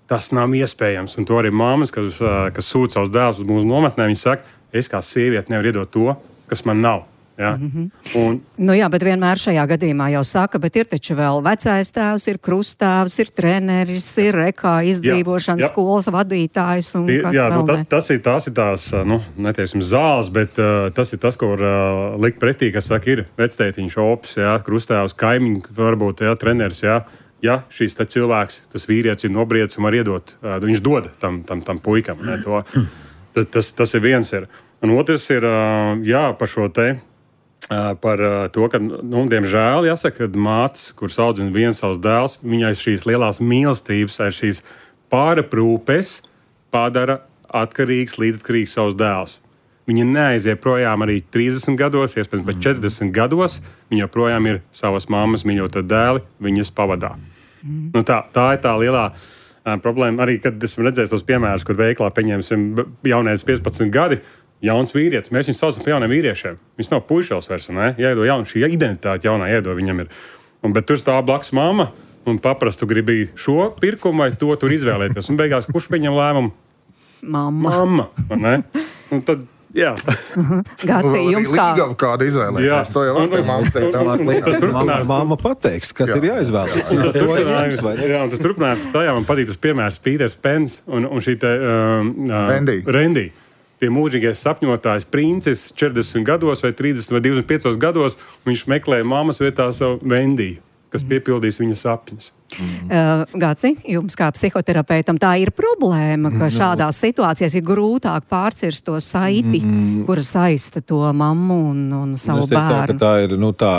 tas nav iespējams. Un to arī māmas, kas, kas sūta savus dēlus uz mūsu nometnē, viņi saka, es kā sieviete nevaru iedot to, kas man nav. Ja? Mm-hmm. Un, nu jā, bet vienmēr šajā gadījumā jau saka, bet ir taču vēl vecais tēvs, ir krustāvs, ir treneris, ir rekā izdzīvošanas jā, jā. skolas vadītājs un Tie, kas jā, vēl nu, tas, tas ir, tās ir tās, nu, neteiksim zāles, bet uh, tas ir tas, ko var uh, likt pretī, kas saka, ir vectētiņš, opis, jā, krustāvs, kaimiņi, varbūt, jā, treneris, jā. Ja šīs cilvēks, tas vīrietis ir nobriedis un var iedot, uh, viņš dod tam, tam, tam puikam. Ne, to, tas, tas, tas ir viens. Ir. Un otrs ir, uh, jā, par šo te. Par to, ka, nu, diemžēl, jāsaka, ka mātes, kuras audzina viens savus dēls, viņai šīs lielās mīlestības, šīs pāraprūpes padara atkarīgs, līdzatkarīgs savus dēlus. Viņa neaiziet projām arī trīsdesmit gados, iespējams, pat četrdesmit gados. Viņa joprojām ir savas mammas mīļotie dēli, viņas pavadā. Mm. Nu, tā, tā ir tā lielā uh, problēma. Arī, kad esmu redzējis tos piemērus, kur veiklā pieņemsim jaunieci piecpadsmit gadi, jauns vīrietis, mēs viņus saucam par jauniem vīriešiem. Viņš nav puišels vairs, ne? Jāiedod jaunu, šī identitāte jaunā iedod viņam ir. Un, bet tur stāv blakus mamma un paprastu gribi šo pirkumu vai to tur izvēlēties. Un beigās, kurš pieņem lēmumu? Mamma. Mamma, ne? Un tad, jā. Gati, jums kā? Līgava kāda izvēlēsies, to jau var pie mammas teikt. Mamma pateiks, kas jā. ir jāizvēlās. Un tas turpinājums, jā, un tas turpinājums, tajā man patīk tas piemērs Pīters Pens un, un šī te um, Rendi. Rendi. Tie mūžīgais sapņotājs princis četrdesmit gados vai trīsdesmit vai divdesmit piecos gados, viņš meklē mammas vietā savu Vendiju, kas piepildīs viņa sapņus. Mm. Uh, Gati, jums kā psihoterapeitam tā ir problēma, ka mm. šādās situācijās ir grūtāk pārcirst to saiti, mm. kura saista to mammu un, un savu es bērnu. Tā, tā ir, nu tā,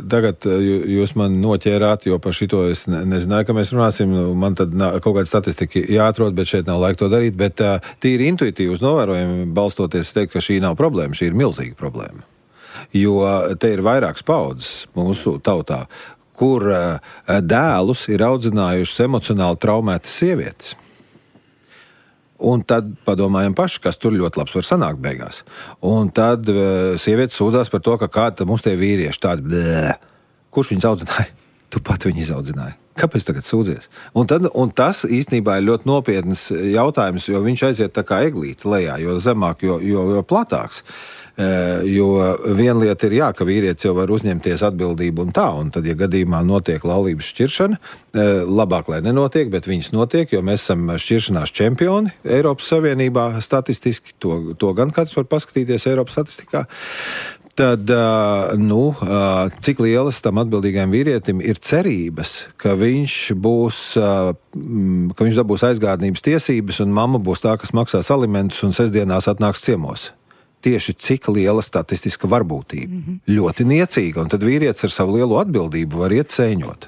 tagad jūs man noķērāt, jo par šito es ne, nezināju, ka mēs runāsim, man tad kaut kāda statistika jāatrod, bet šeit nav laika to darīt, bet tīri intuitīvi uz novērojumi balstoties teikt, ka šī nav problēma, šī ir milzīga problēma. Jo te ir vairākas paudzes mūsu tautā, kur dēlus ir audzinājušas emocionāli traumētas sievietes. Un tad padomājam paši, kas tur ļoti labs var sanākt beigās. Un tad sievietes sūdzās par to, ka kāda mums tie vīrieši tādi, blē, kurš viņus audzināja? Tu pat viņu izaudzināji. Kāpēc tagad sūdzies? Un, tad, un tas īstenībā ir ļoti nopietnas jautājums, jo viņš aiziet tā kā eglīte lejā, jo zemāk, jo, jo, jo platāks. Jo viena lieta ir jā, ka vīrietis jau var uzņemties atbildību un tā, un tad, ja gadījumā notiek laulības šķiršana, labāk, lai nenotiek, bet viņas notiek, jo mēs esam šķiršanās čempioni Eiropas Savienībā statistiski, to, to gan kāds var paskatīties Eiropas statistikā. Tad, nu, cik lielas tam atbildīgajam vīrietim ir cerības, ka viņš būs, ka viņš dabūs aizgādnības tiesības un mamma būs tā, kas maksās alimentus un sestdienās atnāks ciemos. Tieši cik liela statistiska varbūtība. Mm-hmm. Ļoti niecīga, un tad vīrietis ar savu lielo atbildību var iet sēņot.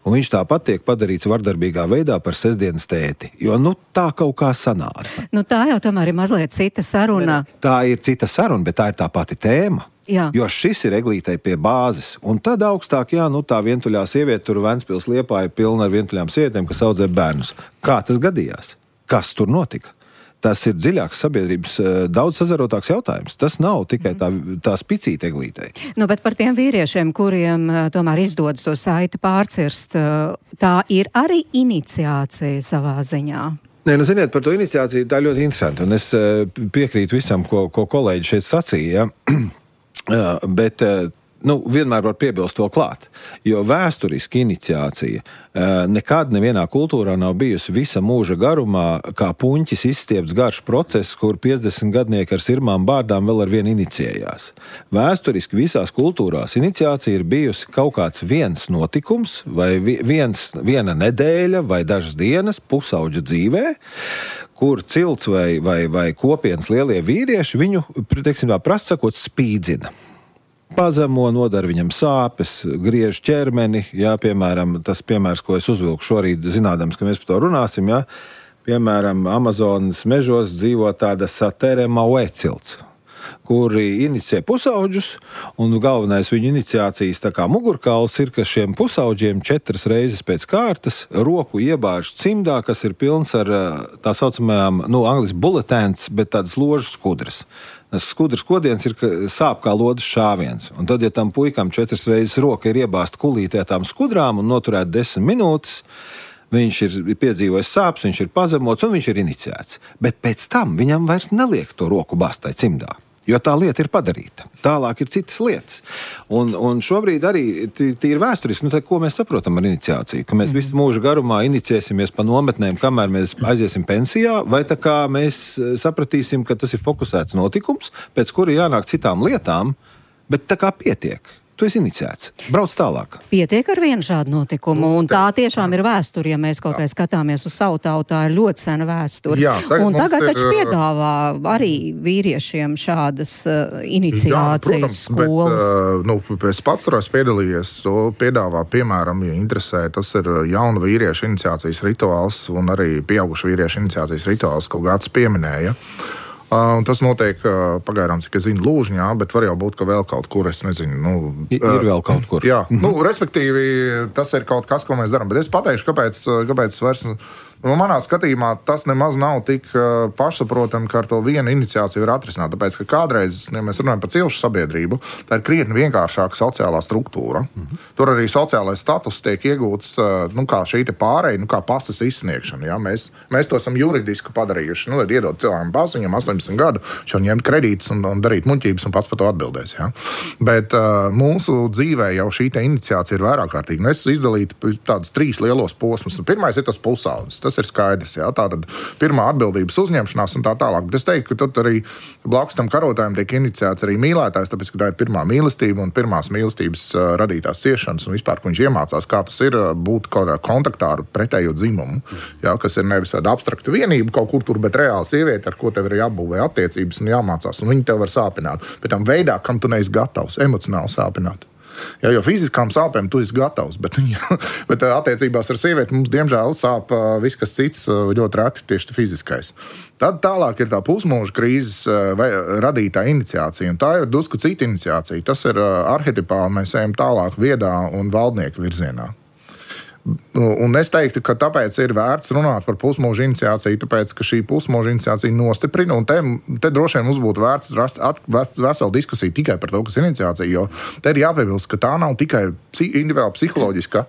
Un viņš tāpat tiek padarīts vardarbīgā veidā par sestdienas tēti. Jo, nu, tā kaut kā sanāca. Nu, tā jau tomēr ir mazliet cita saruna. Tā ir cita saruna, bet tā ir tā pati tēma. Jā. Jo šis ir eglītei pie bāzes. Un tad augstāk, jā, nu, tā vientuļā sieviete, tur Ventspils Liepā ir pilna ar vientuļām sievietēm, kas audzē bērnus. Kā tas gadījās? Kas tur notika? Tas ir dziļāks sabiedrības, daudz sazarotāks jautājums. Tas nav tikai tā, tā spicīta eglītei. Nu, bet par tiem vīriešiem, kuriem tomēr izdodas to saiti pārcirst, tā ir arī iniciācija savā ziņā. Nē, nu, ziniet, par to iniciāciju tā ļoti interesanti. Un es piekrītu visam, ko, ko kolēģi šeit sacīja. Ja? Bet nu, vienmēr var piebilst to klāt, jo vēsturiski iniciācija nekad nevienā kultūrā nav bijusi visa mūža garumā, kā puņķis izstiepts garš process, kur piecdesmit gadnieki ar sirmām bārdām vēl ar vienu inicijējās. Vēsturiski visās kultūrās iniciācija ir bijusi kaut kāds viens notikums, vai viens, viena nedēļa, vai dažas dienas pusauģa dzīvē, kur cilts vai, vai, vai kopienas lielie vīrieši viņu, teiksim tā, prasti sakot, spīdzina. Pazemo, nodara viņam sāpes, griež ķermeni, jā, piemēram, tas piemērs, ko es uzvilku šorīt, zinādams, ka mēs par to runāsim, jā, piemēram, Amazonas mežos dzīvo tāda Satere Maue cilts, kuri inicē pusauģus, un galvenais viņu iniciācijas tā kā mugurkauls ir, ka šiem pusauģiem četras reizes pēc kārtas roku iebāž cimdā, kas ir pilns ar tā saucamajām, nu, angliski bulletins, bet tādas ložas skudras. Tas skudras kodiens ir, ka sāp kā lodas šāviens. Un tad, ja tam puikam četras reizes roka ir iebāzt kulītē tām skudrām un noturēt desmit minūtes, viņš ir piedzīvojis sāpes, viņš ir pazemots un viņš ir iniciēts. Bet pēc tam viņam vairs neliek to roku bāzt tai cimdā. Jo tā lieta ir padarīta. Tālāk ir citas lietas. Un, un šobrīd arī tīri vēsturiski, nu, tā, ko mēs saprotam ar iniciāciju? Ka mēs mm. visu mūžu garumā iniciēsimies pa nometnēm, kamēr mēs aiziesim pensijā, vai tā kā mēs sapratīsim, ka tas ir fokusēts notikums, pēc kura jānāk citām lietām, bet tā kā pietiek. Tu esi iniciēts. Brauc tālāk. Pietiek ar vienu šādu notikumu, un tā tiešām ir vēsture, ja mēs kaut kā skatāmies uz savu tautu, tā ir ļoti sena vēsture. Jā, tagad un tagad taču ir... piedāvā arī vīriešiem šādas uh, iniciācijas Jā, protams, skolas. Bet, uh, nu, es pats turās piedalījies, to piedāvā, piemēram, ja interesē, tas ir jaunu vīriešu iniciācijas rituāls un arī pieaugušu vīriešu iniciācijas rituāls, ko Gats pieminēja. Uh, tas notiek uh, pagaidām, cik es zinu, Lūžņā, bet var jau būt, ka vēl kaut kur, es nezinu. Nu, uh, ir vēl kaut kur. Jā, nu, respektīvi, tas ir kaut kas, ko mēs darām. Bet es pateikšu, kāpēc, kāpēc es vairs... Nu, manā skatījumā tas nemaz nav tik uh, pašsaprotami, ka ar to vienu iniciāciju var atrisināt. Tāpēc, ka kādreiz, ja mēs runājam par cilšu sabiedrību, tā ir krietni vienkāršāka sociālā struktūra. Mm-hmm. Tur arī sociālais status tiek iegūts, uh, nu, kā šī te pārēja, nu, kā pasas izsniegšana. Ja? Mēs, mēs to esam juridiski padarījuši. Nu, lai iedot cilvēkam pasu, viņam astoņdesmit gadu, viņš var ņemt kredītus un, un darīt muļķības un pats par to atbildēs. Ja? Bet uh, mūsu dzīvē jau šī te iniciācija ir vairāk kārtīga. Mēs izdalītu tādus trīs lielos posmus. Nu, pirmais ir tas pusaudzis. Tas ir skaidrs, jā, tā tad pirmā atbildības uzņemšanās un tā tālāk. Bet es teiktu, ka tur arī blakus tam karotājiem tiek iniciēts arī mīlētājs, tāpēc, ka tā ir pirmā mīlestība un pirmās mīlestības uh, radītās ciešanas un vispār, ko viņš iemācās, kā tas ir uh, būt kaut kādā kontaktā ar pretējo dzimumu, jā, kas ir nevis tāda abstrakta vienība kaut kur tur, bet reāla sieviete, ar ko tev ir jābūvē attiecības un jāmācās, un viņi tev var sāpināt. Bet tam veidā, kam tu neesi gatavs, emocionāli sāpināt. Jā, jo fiziskām sāpēm tu esi gatavs, bet, bet attiecībās ar sievieti mums, diemžēl, sāp viss, kas cits, ļoti reti tieši fiziskais. Tad tālāk ir tā pusmūža krīzes vai radītā iniciācija, un tā ir drusku cita iniciācija. Tas ir arhetipāli, mēs ejam tālāk viedā un valdnieku virzienā. Un es teiktu, ka tāpēc ir vērts runāt par pusmūža iniciāciju, tāpēc, ka šī pusmūža iniciācija nostiprina, un te, te droši vien mums būtu vērts rast at, veselu diskusiju tikai par to, kas ir iniciācija, jo te ir jāpiebilst, ka tā nav tikai individuāla psiholoģiska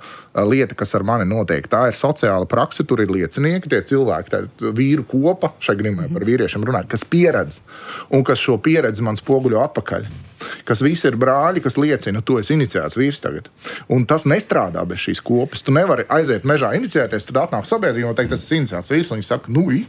lieta, kas ar mani notiek. Tā ir sociāla prakse, tur ir liecinieki, tie cilvēki, tā ir vīru kopa, šai grimē par vīriešiem runāt, kas pieredz, un kas šo pieredzi man spoguļo atpakaļ. Kas visi ir brāļi, kas liecina, tu esi iniciēts vīrs tagad. Un tas nestrādā bez šīs kopas. Tu nevari aiziet mežā iniciēties, tad atnāk sabiedrība un teikt, tas ir iniciēts vīrs, un viņi saka, nu, i,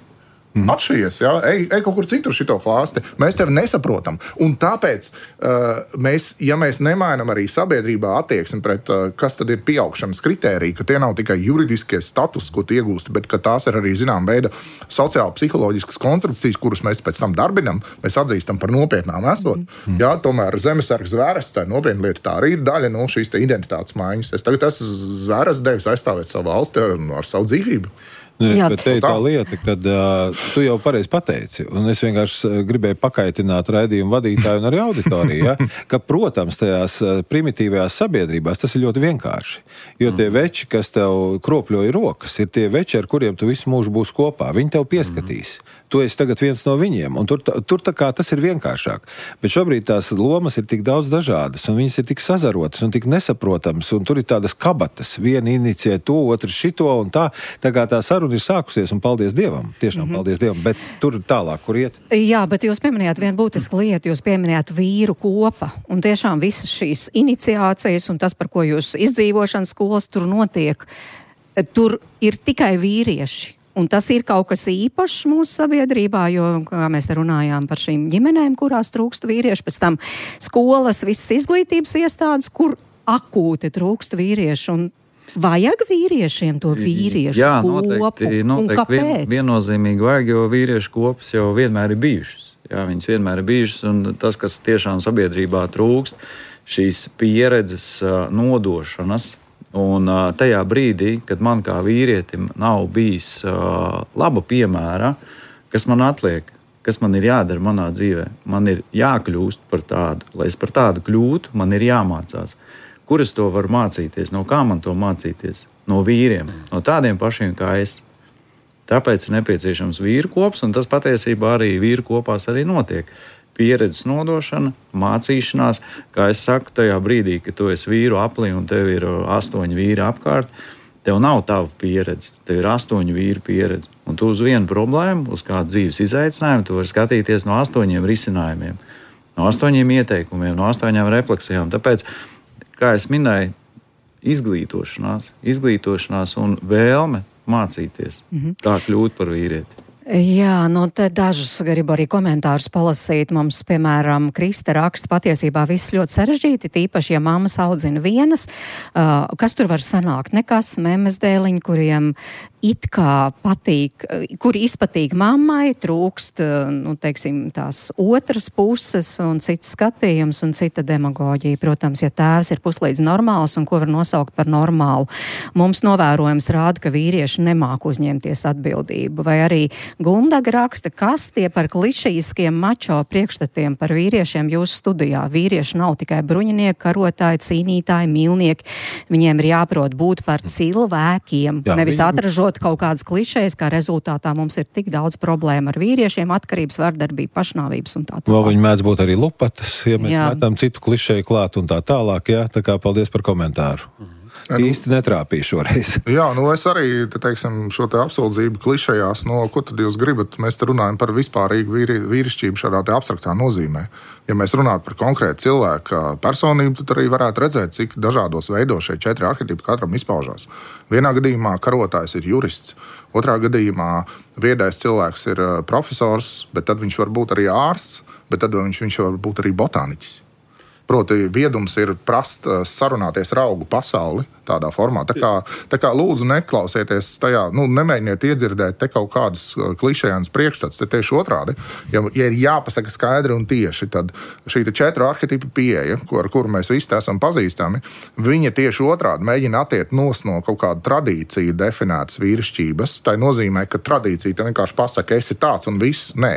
mm. atšķiries, jā, ej, ej kaut kur citur šito klāsti. Mēs tevi nesaprotam. Un tāpēc, uh, mēs, ja mēs nemainam arī sabiedrībā attieksmi pret, uh, kas tad ir pieaugšanas kritērija, ka tie nav tikai juridiskie status, ko tu iegūsti, bet ka tās ir arī, zinām, veida sociāli-psiholoģiskas konstrukcijas, kurus mēs pēc tam darbinam, mēs atzīstam par nopietnām esot. Mm. Jā, tomēr zemesargs zvērests, tā nopietna lieta, tā arī ir daļa no šīs te identitātes maiņas. Es tagad esmu zvērests devis aizstāvēt savu valsti ar savu dzīvību. Nu, jā, bet te ir tā lieta, kad uh, tu jau pareizi pateici, un es vienkārši gribēju pakaitināt raidījumu vadītāju un arī auditoriju, ja, ka, protams, tajās primitīvajās sabiedrībās tas ir ļoti vienkārši. Jo tie veči, kas tev kropļoja rokas, ir tie veči, ar kuriem tu visu mūžu būs kopā. Viņi tev pieskatīs. Tu esi tagad viens no viņiem, un tur, tur tā kā tas ir vienkāršāk. Bet šobrīd tās lomas ir tik daudz dažādas, un viņas ir tik sazarotas un tik nesaprotamas, un tur ir tādas kabatas. Viena inicijē to, otrs šito, un tā. Tā kā tā saruna ir sākusies, un paldies Dievam. Tiešām mm-hmm. paldies Dievam, bet tur tālāk, kur iet. Jā, bet jūs pieminējāt vienu būtisku lietu, jūs pieminējāt vīru kopa, un tiešām visas šīs iniciācijas, un tas, par ko jūs izdzīvošanas skolas tur notiek, tur ir tikai vīrieši. Un tas ir kaut kas īpašs mūsu sabiedrībā, jo, kā mēs te runājām par šīm ģimenēm, kurās trūkst vīrieši, pēc tam skolas, visas izglītības iestādes, kur akūti trūkst vīrieši, un vajag vīriešiem to vīriešu Jā, kopu, noteikti, noteikti, un kāpēc? Vien, viennozīmīgi vajag, jo vīriešu kopas jau vienmēr ir bijušas. Jā, viņas vienmēr ir bijušas, un tas, kas tiešām sabiedrībā trūkst, šīs pieredzes nodošanas. Un uh, tajā brīdī, kad man kā vīrietim nav bijis uh, laba piemēra, kas man atliek, kas man ir jādara manā dzīvē, man ir jākļūst par tādu. Lai es par tādu kļūtu, man ir jāmācās. Kur es to varu mācīties? No kā man to mācīties? No vīriem, no tādiem pašiem kā es. Tāpēc ir nepieciešams vīru kops, un tas patiesībā arī vīru kopās arī notiek. Pieredzes nodošana, mācīšanās, kā es saku, tajā brīdī, kad tu esi vīru aplī un tev ir astoņi vīri apkārt, tev nav tava pieredze, tev ir astoņu vīru pieredze. Un tu uz vienu problēmu, uz kādu dzīves izaicinājumu, tu vari skatīties no astoņiem risinājumiem. no astoņiem ieteikumiem, no astoņām refleksijām. Tāpēc, kā es minēju, izglītošanās, izglītošanās un vēlme mācīties, mm-hmm. tā kļūt par vīrieti. Jā, nu te dažus gribu arī komentārus palasīt. Mums, piemēram, Krista raksta, patiesībā viss ļoti sarežģīti, tīpaši, ja mammas audzina vienas. Uh, kas tur var sanākt? Nekas, memes dēliņi, kuriem it kā patīk, kuri izpatīk mammai, trūkst, nu, teiksim, tās otras puses un cits skatījums un cita demagoģija. Protams, ja tēvs ir puslīdz normāls un ko var nosaukt par normālu. Mums novērojums rāda, ka vīrieši nemāk uzņemties atbildību. Vai arī Gundaga raksta, kas tie par klišejiskiem mačo priekšstatiem par vīriešiem jūsu studijā. Vīrieši nav tikai bruņinieki, karotāji, cīnītāji, mīlnieki. Viņiem ir jāprot būt par cilvēkiem, Jā, nevis viņi... atražot kaut kādas klišejas, kā rezultātā mums ir tik daudz problēmu ar vīriešiem, atkarības, vardarbība, pašnāvības un tā tālāk. Vēl viņi mēdz būt arī lupatas, ja mēs jā. metam citu klišeju klāt un tā tālāk, jā, tā kā paldies par komentāru. Mhm. Īsti netrāpīju šoreiz. Jā, nu es arī, te, teiksim, šo te apsūdzību klišejās, no ko tad jūs gribat, mēs te runājam par vispārīgu vīri, vīrišķību šādā te abstraktā nozīmē. Ja mēs runātu par konkrētu cilvēku personību, tad arī varētu redzēt, cik dažādos veidos šie četri arhetipi katram izpaužās. Vienā gadījumā karotājs ir jurists, otrā gadījumā viedais cilvēks ir profesors, bet tad viņš var būt arī ārsts, bet tad viņš, viņš var būt arī botāniķis. Proti, viedums ir prast sarunāties ar augu pasauli tādā formā. Tā kā, tā kā lūdzu neklausieties tajā, nu, nemēģiniet iedzirdēt te kaut kādus klišejānas priekšstats, te tieši otrādi. Ja, ja ir jāpasaka skaidri un tieši, tad šī četru arhetipu pieeja, ar kuru mēs visi esam pazīstami, viņa tieši otrādi mēģina attiekt nos no kaut kāda tradīcija definētas vīrišķības. Tā nozīmē, ka tradīcija te vienkārši pasaka, esi tāds un viss. Nē,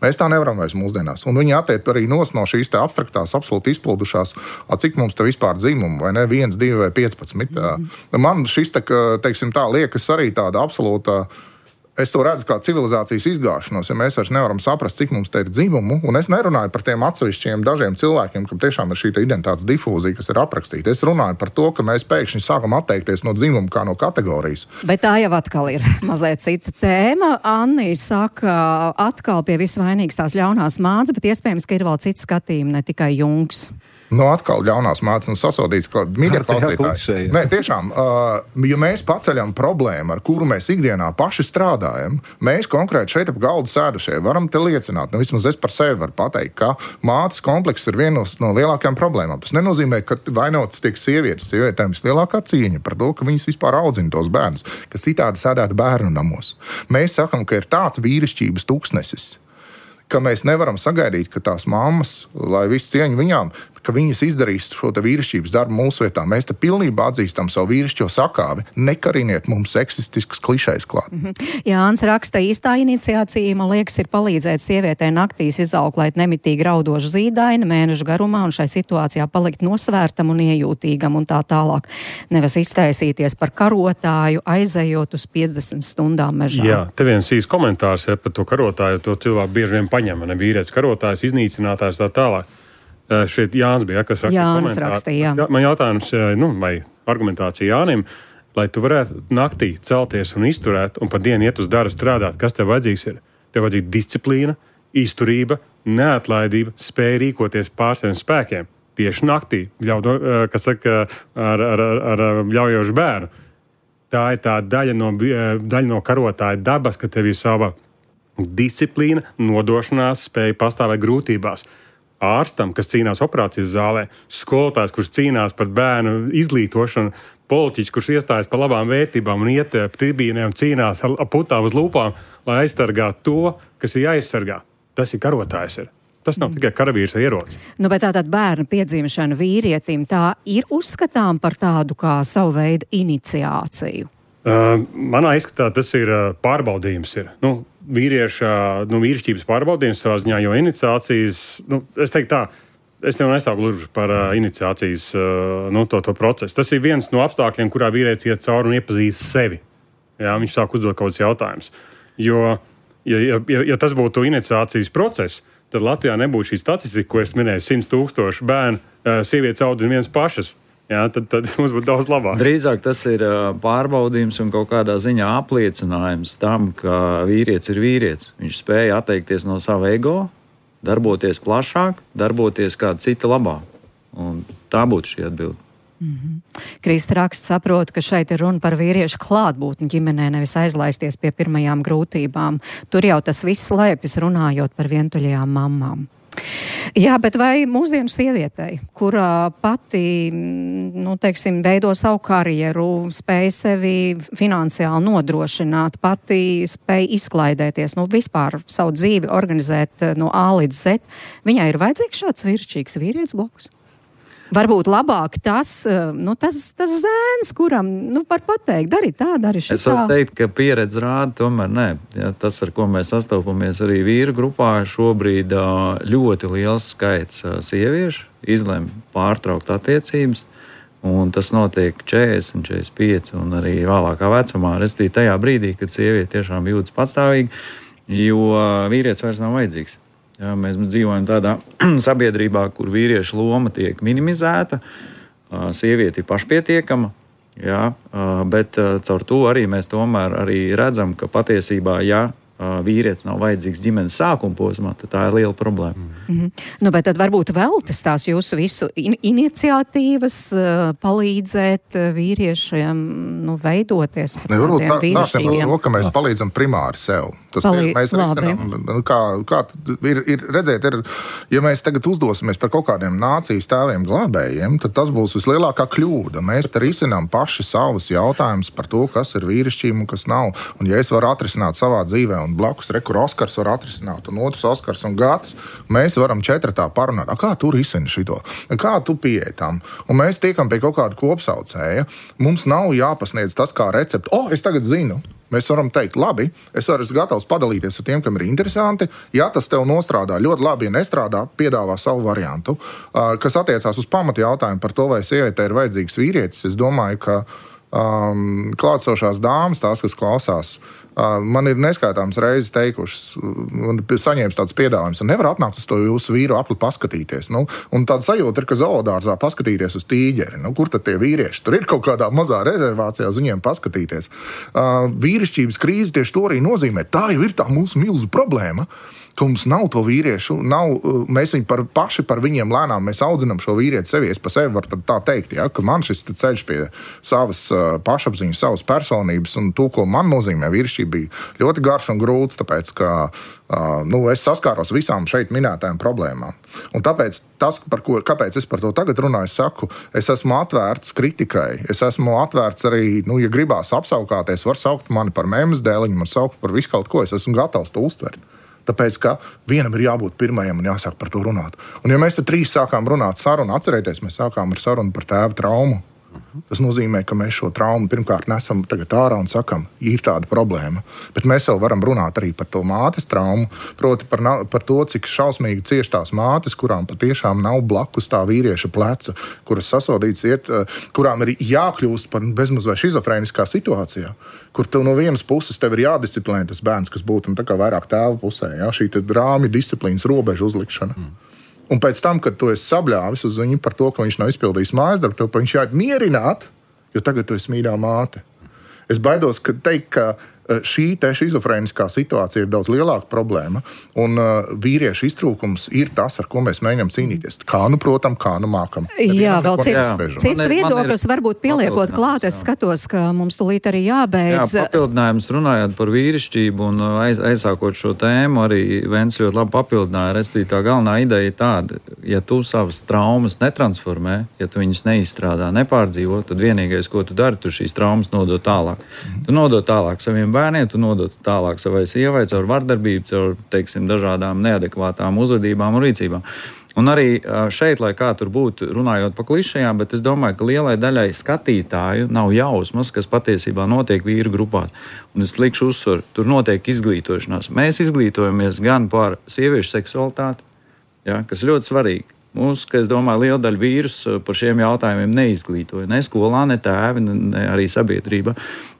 mēs tā nevaram vairs mūsdienās. Un viņi attiekt arī nos no šīs te abstraktās, absolūti izplūdušās, cik mums te vispār dzimumu, vai ne, viens, divi vai piecpadsmit. Mm-hmm. Man šis, te, teiksim tā, liekas arī tāda absolūta, es to redzu kā civilizācijas izgāšanos, ja mēs vairs nevaram saprast, cik mums te ir dzimumu, un es nerunāju par tiem atsevišķiem dažiem cilvēkiem, kam tiešām ir šī identitātes difūzija, kas ir aprakstīta. Es runāju par to, ka mēs pēkšņi sākam atteikties no dzimuma kā no kategorijas. Bet tā jau atkal ir mazliet cita tēma. Anni saka, atkal pie visu vainīgas tās ļaunās mātes, bet iespējams, ka ir vēl cits skatījumi, ne tikai Jungs. No atkal ļaunās mātes un sasodīts, ka mīļie klausītāji. Nē, tiešām, uh, ja mēs paceļam problēmu, ar kuru mēs ikdienā paši strādājam, mēs konkrēti šeit ap galdu sēdušie varam te liecināt, nu vismaz es par sevi varu pateikt, ka mātes komplekss ir viena no lielākajām problēmām. Tas nenozīmē, ka vainotas tiek sievietes. Sievietēm vislielākā cīņa par to, ka viņas vispār audzina tos bērnus, ka citādi sēdētu bērnu namos. Mēs sakam, ka ir tāds vīrišķības tūkstnesis, ka mēs nevaram sagaidīt, ka tās mammas, lai visu cieņu viņām, ka viņas izdarīs šo te vīrišķības darbu mūsu vietā. Mēs te pilnībā atzīstam savu vīrišķo sakāvi. Nekariniet mums seksistiskas klišejas klāt. Mm-hmm. Jānis raksta, īstā iniciācija, man liekas, ir palīdzēt sievietē naktīs izauklēt nemitīgi raudošu zīdaini mēnešu garumā un šai situācijā palikt nosvērtam un iejūtīgam un tā tālāk. Nevis iztaisīties par karotāju, aizejot uz piecdesmit stundām mežā. Jā, te viens īs komentārs ja, par to karotāju, to cilvēku bieži vien paņem, ne vīrietis karotājs, iznīcinātājs tā tālāk. Šeit Jānis bija, kas rakstīja Jānis rakstīja, jā. Man jautājums, nu, vai argumentācija Jānim, lai tu varētu naktī celties un izturēt un pa dienu iet uz darbu strādāt, kas tev vajadzīgs ir? Tev vajadzīga disciplīna, izturība, neatlaidība, spēja rīkoties pār saviem spēkiem. Tieši naktī, ļaudo, kas saka, ar, ar, ar, ar ļaujošu bērnu. Tā ir tā daļa no, daļa no karotāja dabas, ka tev ir sava disciplīna, nodošanās, spēja pastāvēt grūtībās. Ārstam, kas cīnās operācijas zālē, skolotājs, kurš cīnās par bērnu izglītošanu, politiķis, kurš iestājas par labām vērtībām un iet tribīnē un cīnās ar putām uz lūpām, lai aizsargātu to, kas ir jāaizsargā. Tas ir karotājs. Ir. Tas nav tikai karavīrs vai ierocis. Nu, bet tātad bērna piedzimšana vīrietim tā ir uzskatām par tādu kā savu veidu iniciāciju? Uh, manā izskatā tas ir uh, pārbaudījums. Ir. Nu, vīrieša, nu, vīrišķības pārbaudījums savā ziņā, jo iniciācijas, nu, es teiktu tā, es tev nesāku gluži par uh, iniciācijas uh, nu, to, to procesu. Tas ir viens no apstākļiem, kurā vīrietis iet cauri un iepazīst sevi. Jā, viņš sāk uzdot kaut kādus jautājumus. Jo, ja, ja, ja tas būtu iniciācijas process, tad Latvijā nebūtu šī statistika, ko es minēju, simts tūkstoši bērnu, uh, sievietes audzina viens pašas. Jā, tad, tad mums būtu daudz labāk. Drīzāk tas ir pārbaudījums un kaut kādā ziņā apliecinājums tam, ka vīrietis ir vīrietis. Viņš spēja atteikties no sava ego, darboties plašāk, darboties kāda cita labā. Un tā būtu šī atbilde. Mm-hmm. Krista raksts saprot, ka šeit ir runa par vīriešu klātbūtni ģimenē, nevis aizlaisties pie pirmajām grūtībām. Tur jau tas viss slēpjas runājot par vientuļajām mammām. Jā, bet vai mūsdienu sievietei, kurā pati, nu, teiksim, veido savu karjeru, spēj sevi finansiāli nodrošināt, pati spēj izklaidēties, nu, vispār savu dzīvi organizēt no A līdz Z, viņai ir vajadzīgs šāds vīrišķīgs vīrietis blakus? Varbūt labāk tas, nu, tas, tas zēns, kuram, nu, var pateikt, dari tā, dari šitā. Es varu teikt, ka pieredze rāda, tomēr nē. Ja, tas, ar ko mēs sastopamies arī vīru grupā, šobrīd ļoti liels skaits sieviešu izlem pārtraukt attiecības, un tas notiek četrdesmit, četrdesmit pieci un arī vēlākā vecumā, respektīvi tajā brīdī, kad sieviete tiešām jūtas patstāvīgi, jo vīrietis vairs nav vajadzīgs. Jā, mēs dzīvojam tādā sabiedrībā, kur vīrieša loma tiek minimizēta, sieviete ir pašpietiekama, jā, bet caur to arī mēs tomēr arī redzam, ka patiesībā, ja vīrietis nav vajadzīgs ģimenes sākuma posmā, tad tā ir liela problēma. Mm-hmm. Nu, bet tad varbūt veltas tās jūsu visu in- iniciatīvas uh, palīdzēt vīriešiem, nu, veidoties par ne, tādiem vīrišķīgiem. Tā, ka mēs palīdzam primāri sev. Tas Palī- ir, mēs risinām, kā, kā ir, ir, redzēt, ir, ja mēs tagad uzdosimies par kaut kādiem nācijas tēviem glābējiem, tad tas būs vislielākā kļūda. Mēs te risinām paši savus jautājumus par to, kas ir vīrišķība un kas nav. Un ja es varu atrisināt savā dzīvē un blakus, re, kur Oskars var atrisināt, un otrs Oskars un Gats, mēs varam četratā parunāt, a, kā tu risini šito, kā tu pieeji tam, un mēs tiekam pie kaut kāda kopsaucēja. Mums nav jāpasniedz tas kā recepti, o, es tagad zinu. Mēs varam teikt, labi, es varu gatavs padalīties ar tiem, kam ir interesanti. Ja tas tev nostrādā ļoti labi, ja nestrādā, piedāvā savu variantu. Kas attiecās uz pamatu jautājumu par to, vai sievietei ir vajadzīgs vīrietis, es domāju, ka um, klātsošās dāmas, tās, kas klausās, uh, man ir neskaitāmas reizes teikušas, un saņēmis tāds piedāvājums, un nevar atnākt uz to jūsu vīru apli paskatīties. Nu, un tāda sajūta ir, ka zoodārzā paskatīties uz tīģeri. Nu, kur tad tie vīrieši? Tur ir kaut kādā mazā rezervācijā uz viņiem paskatīties. Uh, vīrišķības krīze tieši to arī nozīmē. Tā jau ir tā mūsu milzu problēma, ka mums nav to vīriešu, nav, mēs viņu par, paši par viņiem lēnām, mēs audzinām šo vīrieti sevi. Es pa sevi varu tā teikt, ja, ka man šis ceļš pie savas uh, pašapziņas, savas personības un to, ko man nozīmē vīrišķība, bija ļoti garš un grūts, tāpēc, ka uh, nu, es saskāros visām šeit minētajām problēmām. Un tāpēc, tas, par ko, kāpēc es par to tagad runāju, es saku, es esmu atvērts kritikai, es esmu atvērts arī, nu, ja gribās apsaukāties, var saukt mani par mēmas dēliņu, man saukt par visu kaut ko, es esmu gatavs to uztvert. Tāpēc, ka vienam ir jābūt pirmajam un jāsāk par to runāt. Un ja mēs te trīs sākām runāt sarunu, atcerieties, mēs sākām ar sarunu par tēva traumu. Tas nozīmē, ka mēs šo traumu pirmkārt nesam tagad ārā un sakam, ir tāda problēma. Bet mēs jau varam runāt arī par to mātes traumu, proti par, par to, cik šausmīgi cieš tās mātes, kurām patiešām nav blakus tā vīrieša pleca, kuras sasodīts iet, kurām ir jākļūst par bezmaz vai šizofrēniskā situācijā, kur tev no vienas puses tev ir jādisciplinē tas bērns, kas būtu tā kā vairāk tēva pusē, ja? Šī rāmju disciplīnas robežu uzlikšana. Mm. Un pēc tam, kad tu esi sabļāvis uz viņu par to, ka viņš nav izpildījis mājas darbu, tev viņš jāiet mierināt, jo tagad tu esi mīļā māte. Es baidos, ka teikt, ka šī te šizofrēniskā situācija ir daudz lielāka problēma, un uh, vīriešu iztrūkums ir tas, ar ko mēs mēģinām cīnīties. Kā nu, protam, kā nu mākam. Jā, vēl cits, cits viedoklis varbūt pieliekot klāt, es skatos, ka mums tulīt arī jābeidz. Jā, papildinājums runājot par vīrišķību un aiz, aizsākot šo tēmu, arī Vents ļoti labi papildināja, respektīvi tā galvenā ideja ir tāda, ja tu savas traumas netransformē, ja tu viņas neizstrādā, nepārdzīvo, tad vienīgais, ko tu dari, tu šīs traumas nodod tālāk. Tu nodod tālāk saviem bērniem, tu nodod tālāk savai sievai, caur vardarbību, caur, teiksim, dažādām neadekvātām uzvedībām un rīcībām. Un arī šeit, lai kā tur būtu, runājot pa klišajām, bet es domāju, ka lielai daļai skatītāju nav jausmas, kas patiesībā notiek vīru grupā. Un es likšu uzsvaru, tur notiek izglītošanās. Mēs izglītojamies gan par sieviešu seksualitāti, ja, kas ļoti svarīgi. Mūs, ka es domāju, liela daļa vīrus par šiem jautājumiem neizglītoja. Ne skolā, ne tēvi, ne arī sabiedrība.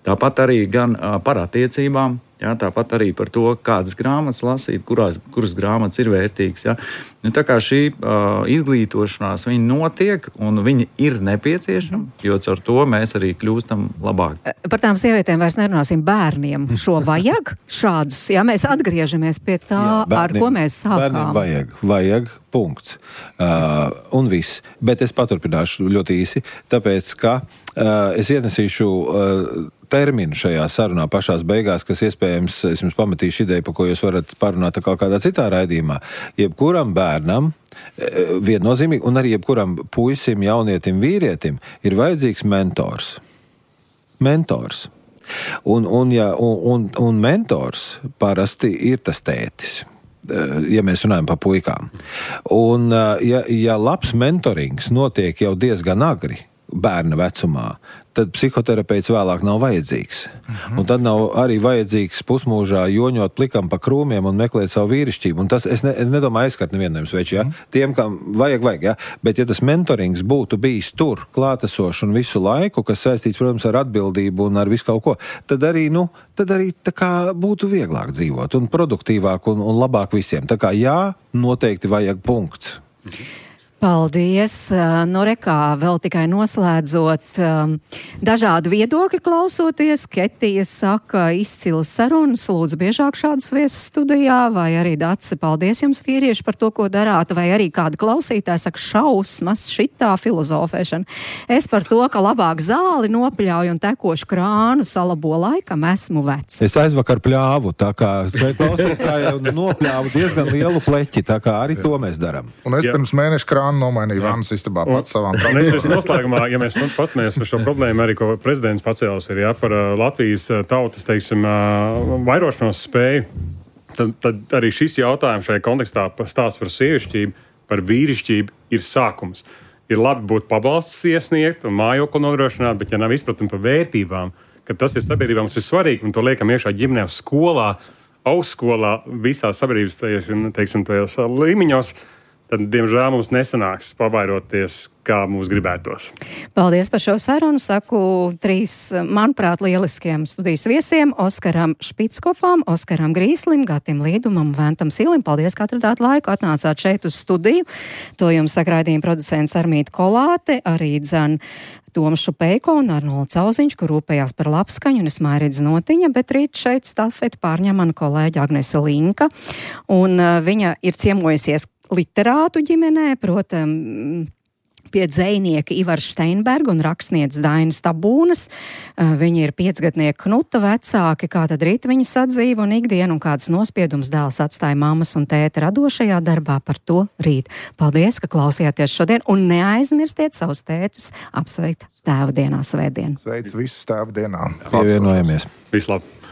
Tāpat arī gan par attiecībām, Jā, tāpat arī par to, kādas grāmatas lasīt, kurās, kuras grāmatas ir vērtīgas. Jā. Nu, tā kā šī uh, izglītošanās viņa notiek un viņa ir nepieciešama, jo caur to mēs arī kļūstam labāk. Par tām sievietēm vairs nerunāsim, bērniem šo vajag šādus, ja mēs atgriežamies pie tā, jā, bērniem, ar ko mēs sākām. Bērniem vajag, vajag, punkts. Uh, un viss. Bet es paturpināšu ļoti īsi, tāpēc, ka uh, es ienesīšu uh, terminu šajā sarunā pašās beigās, kas iespējams, es jums pametīšu ideju, par ko jūs varat parunāt kā kādā citā raidījumā. Jebkuram bērnam, viennozīmīgi, un arī jebkuram puisim, jaunietim, vīrietim ir vajadzīgs mentors. Mentors. Un, un, ja, un, un, un mentors parasti ir tas tētis, ja mēs runājam par puikām. Un ja, ja labs mentorings notiek jau diezgan agri, bērna vecumā, tad psihoterapeits vēlāk nav vajadzīgs. Uh-huh. Un tad nav arī vajadzīgs pusmūžā joņot plikam pa krūmiem un meklēt savu vīrišķību. Un tas, es, ne, es nedomāju aizskart nevienam sveči, ja? Uh-huh. Tiem, kam vajag, vajag, ja? Bet ja tas mentorings būtu bijis tur, klātesoši un visu laiku, kas saistīts, protams, ar atbildību un ar visu kaut ko, tad arī, nu, tad arī tā kā būtu vieglāk dzīvot un produktīvāk un, un labāk visiem. Tā kā jā, noteikti vajag punkts. Uh-huh. Paldies. Nu, rekā, vēl tikai noslēdzot um, dažādu viedokļu klausoties. Ketija saka, izcils sarunas, lūdzu biežāk šādus viesus studijā, vai arī Dace, paldies jums vīrieši par to, ko darāt, vai arī kāda klausītāja saka, šausmas, šitā filozofēšana. Es par to, ka labāk zāli nopļauju un tekošu krānu salabo laikam esmu vecs. Es aizvakar pļāvu, tā kā klausītāja nopļāvu diezgan lielu pleķi, tā kā arī to mēs darām. Un es pirms mēneša krānu nomainīja vannas istabā pats savām problēmām. Es noslēgumā, ja mēs paskatāmies par šo problēmu, arī ko prezidents pacēlis ir, ja, par uh, Latvijas uh, tautas, teiksim, uh, vairošanos spēju, tad, tad arī šis jautājums šajā kontekstā stāsts par sievišķību, par vīrišķību ir sākums. Ir labi būt pabalsts iesniegt un mājokli nodrošināt, bet ja nav izpratni par vērtībām, ka tas ir sabiedrībā mums ir svarīgi, un to liekam iekšā ģimenē, skolā, augstskolā, visās sabiedrības tajos, teiksim, tajos līmeņos, tad, diemžēl, mums nesanāks pavairoties, kā mums gribētos. Paldies par šo sarunu. Saku trīs, manuprāt, lieliskiem studijas viesiem - Oskaram Špitskofam, Oskaram Grīslim, Gatim Līdumam, Ventam Silim. Paldies, ka atradāt laiku, atnācāt šeit uz studiju. To jums saka raidījuma producents Armīta Kolāte, arī dzan Toms Šupeiko un Arnolds Cauziņš, kur rūpējās par labskaņu, un es Mairidz Notiņa, bet rīt šeit stafeti pārņem mana kolēģa Agnese Linka, un uh, viņa ir ciemojusies literātu ģimenē, protams, pie dzejnieka Ivara Steinberga un rakstnieces Dainas Tabūnas. Viņi ir piecgadnieka Knuta vecāki, kā tad rīt viņa sadzīve un ikdiena un kādas nospiedums dēls atstāja mammas un tēta radošajā darbā, par to rīt. Paldies, ka klausījāties šodien, un neaizmirstiet savus tētus apsveikt tēva dienā svētdien. Sveic visus tēva dienā. Pievienojamies. Vislabāk.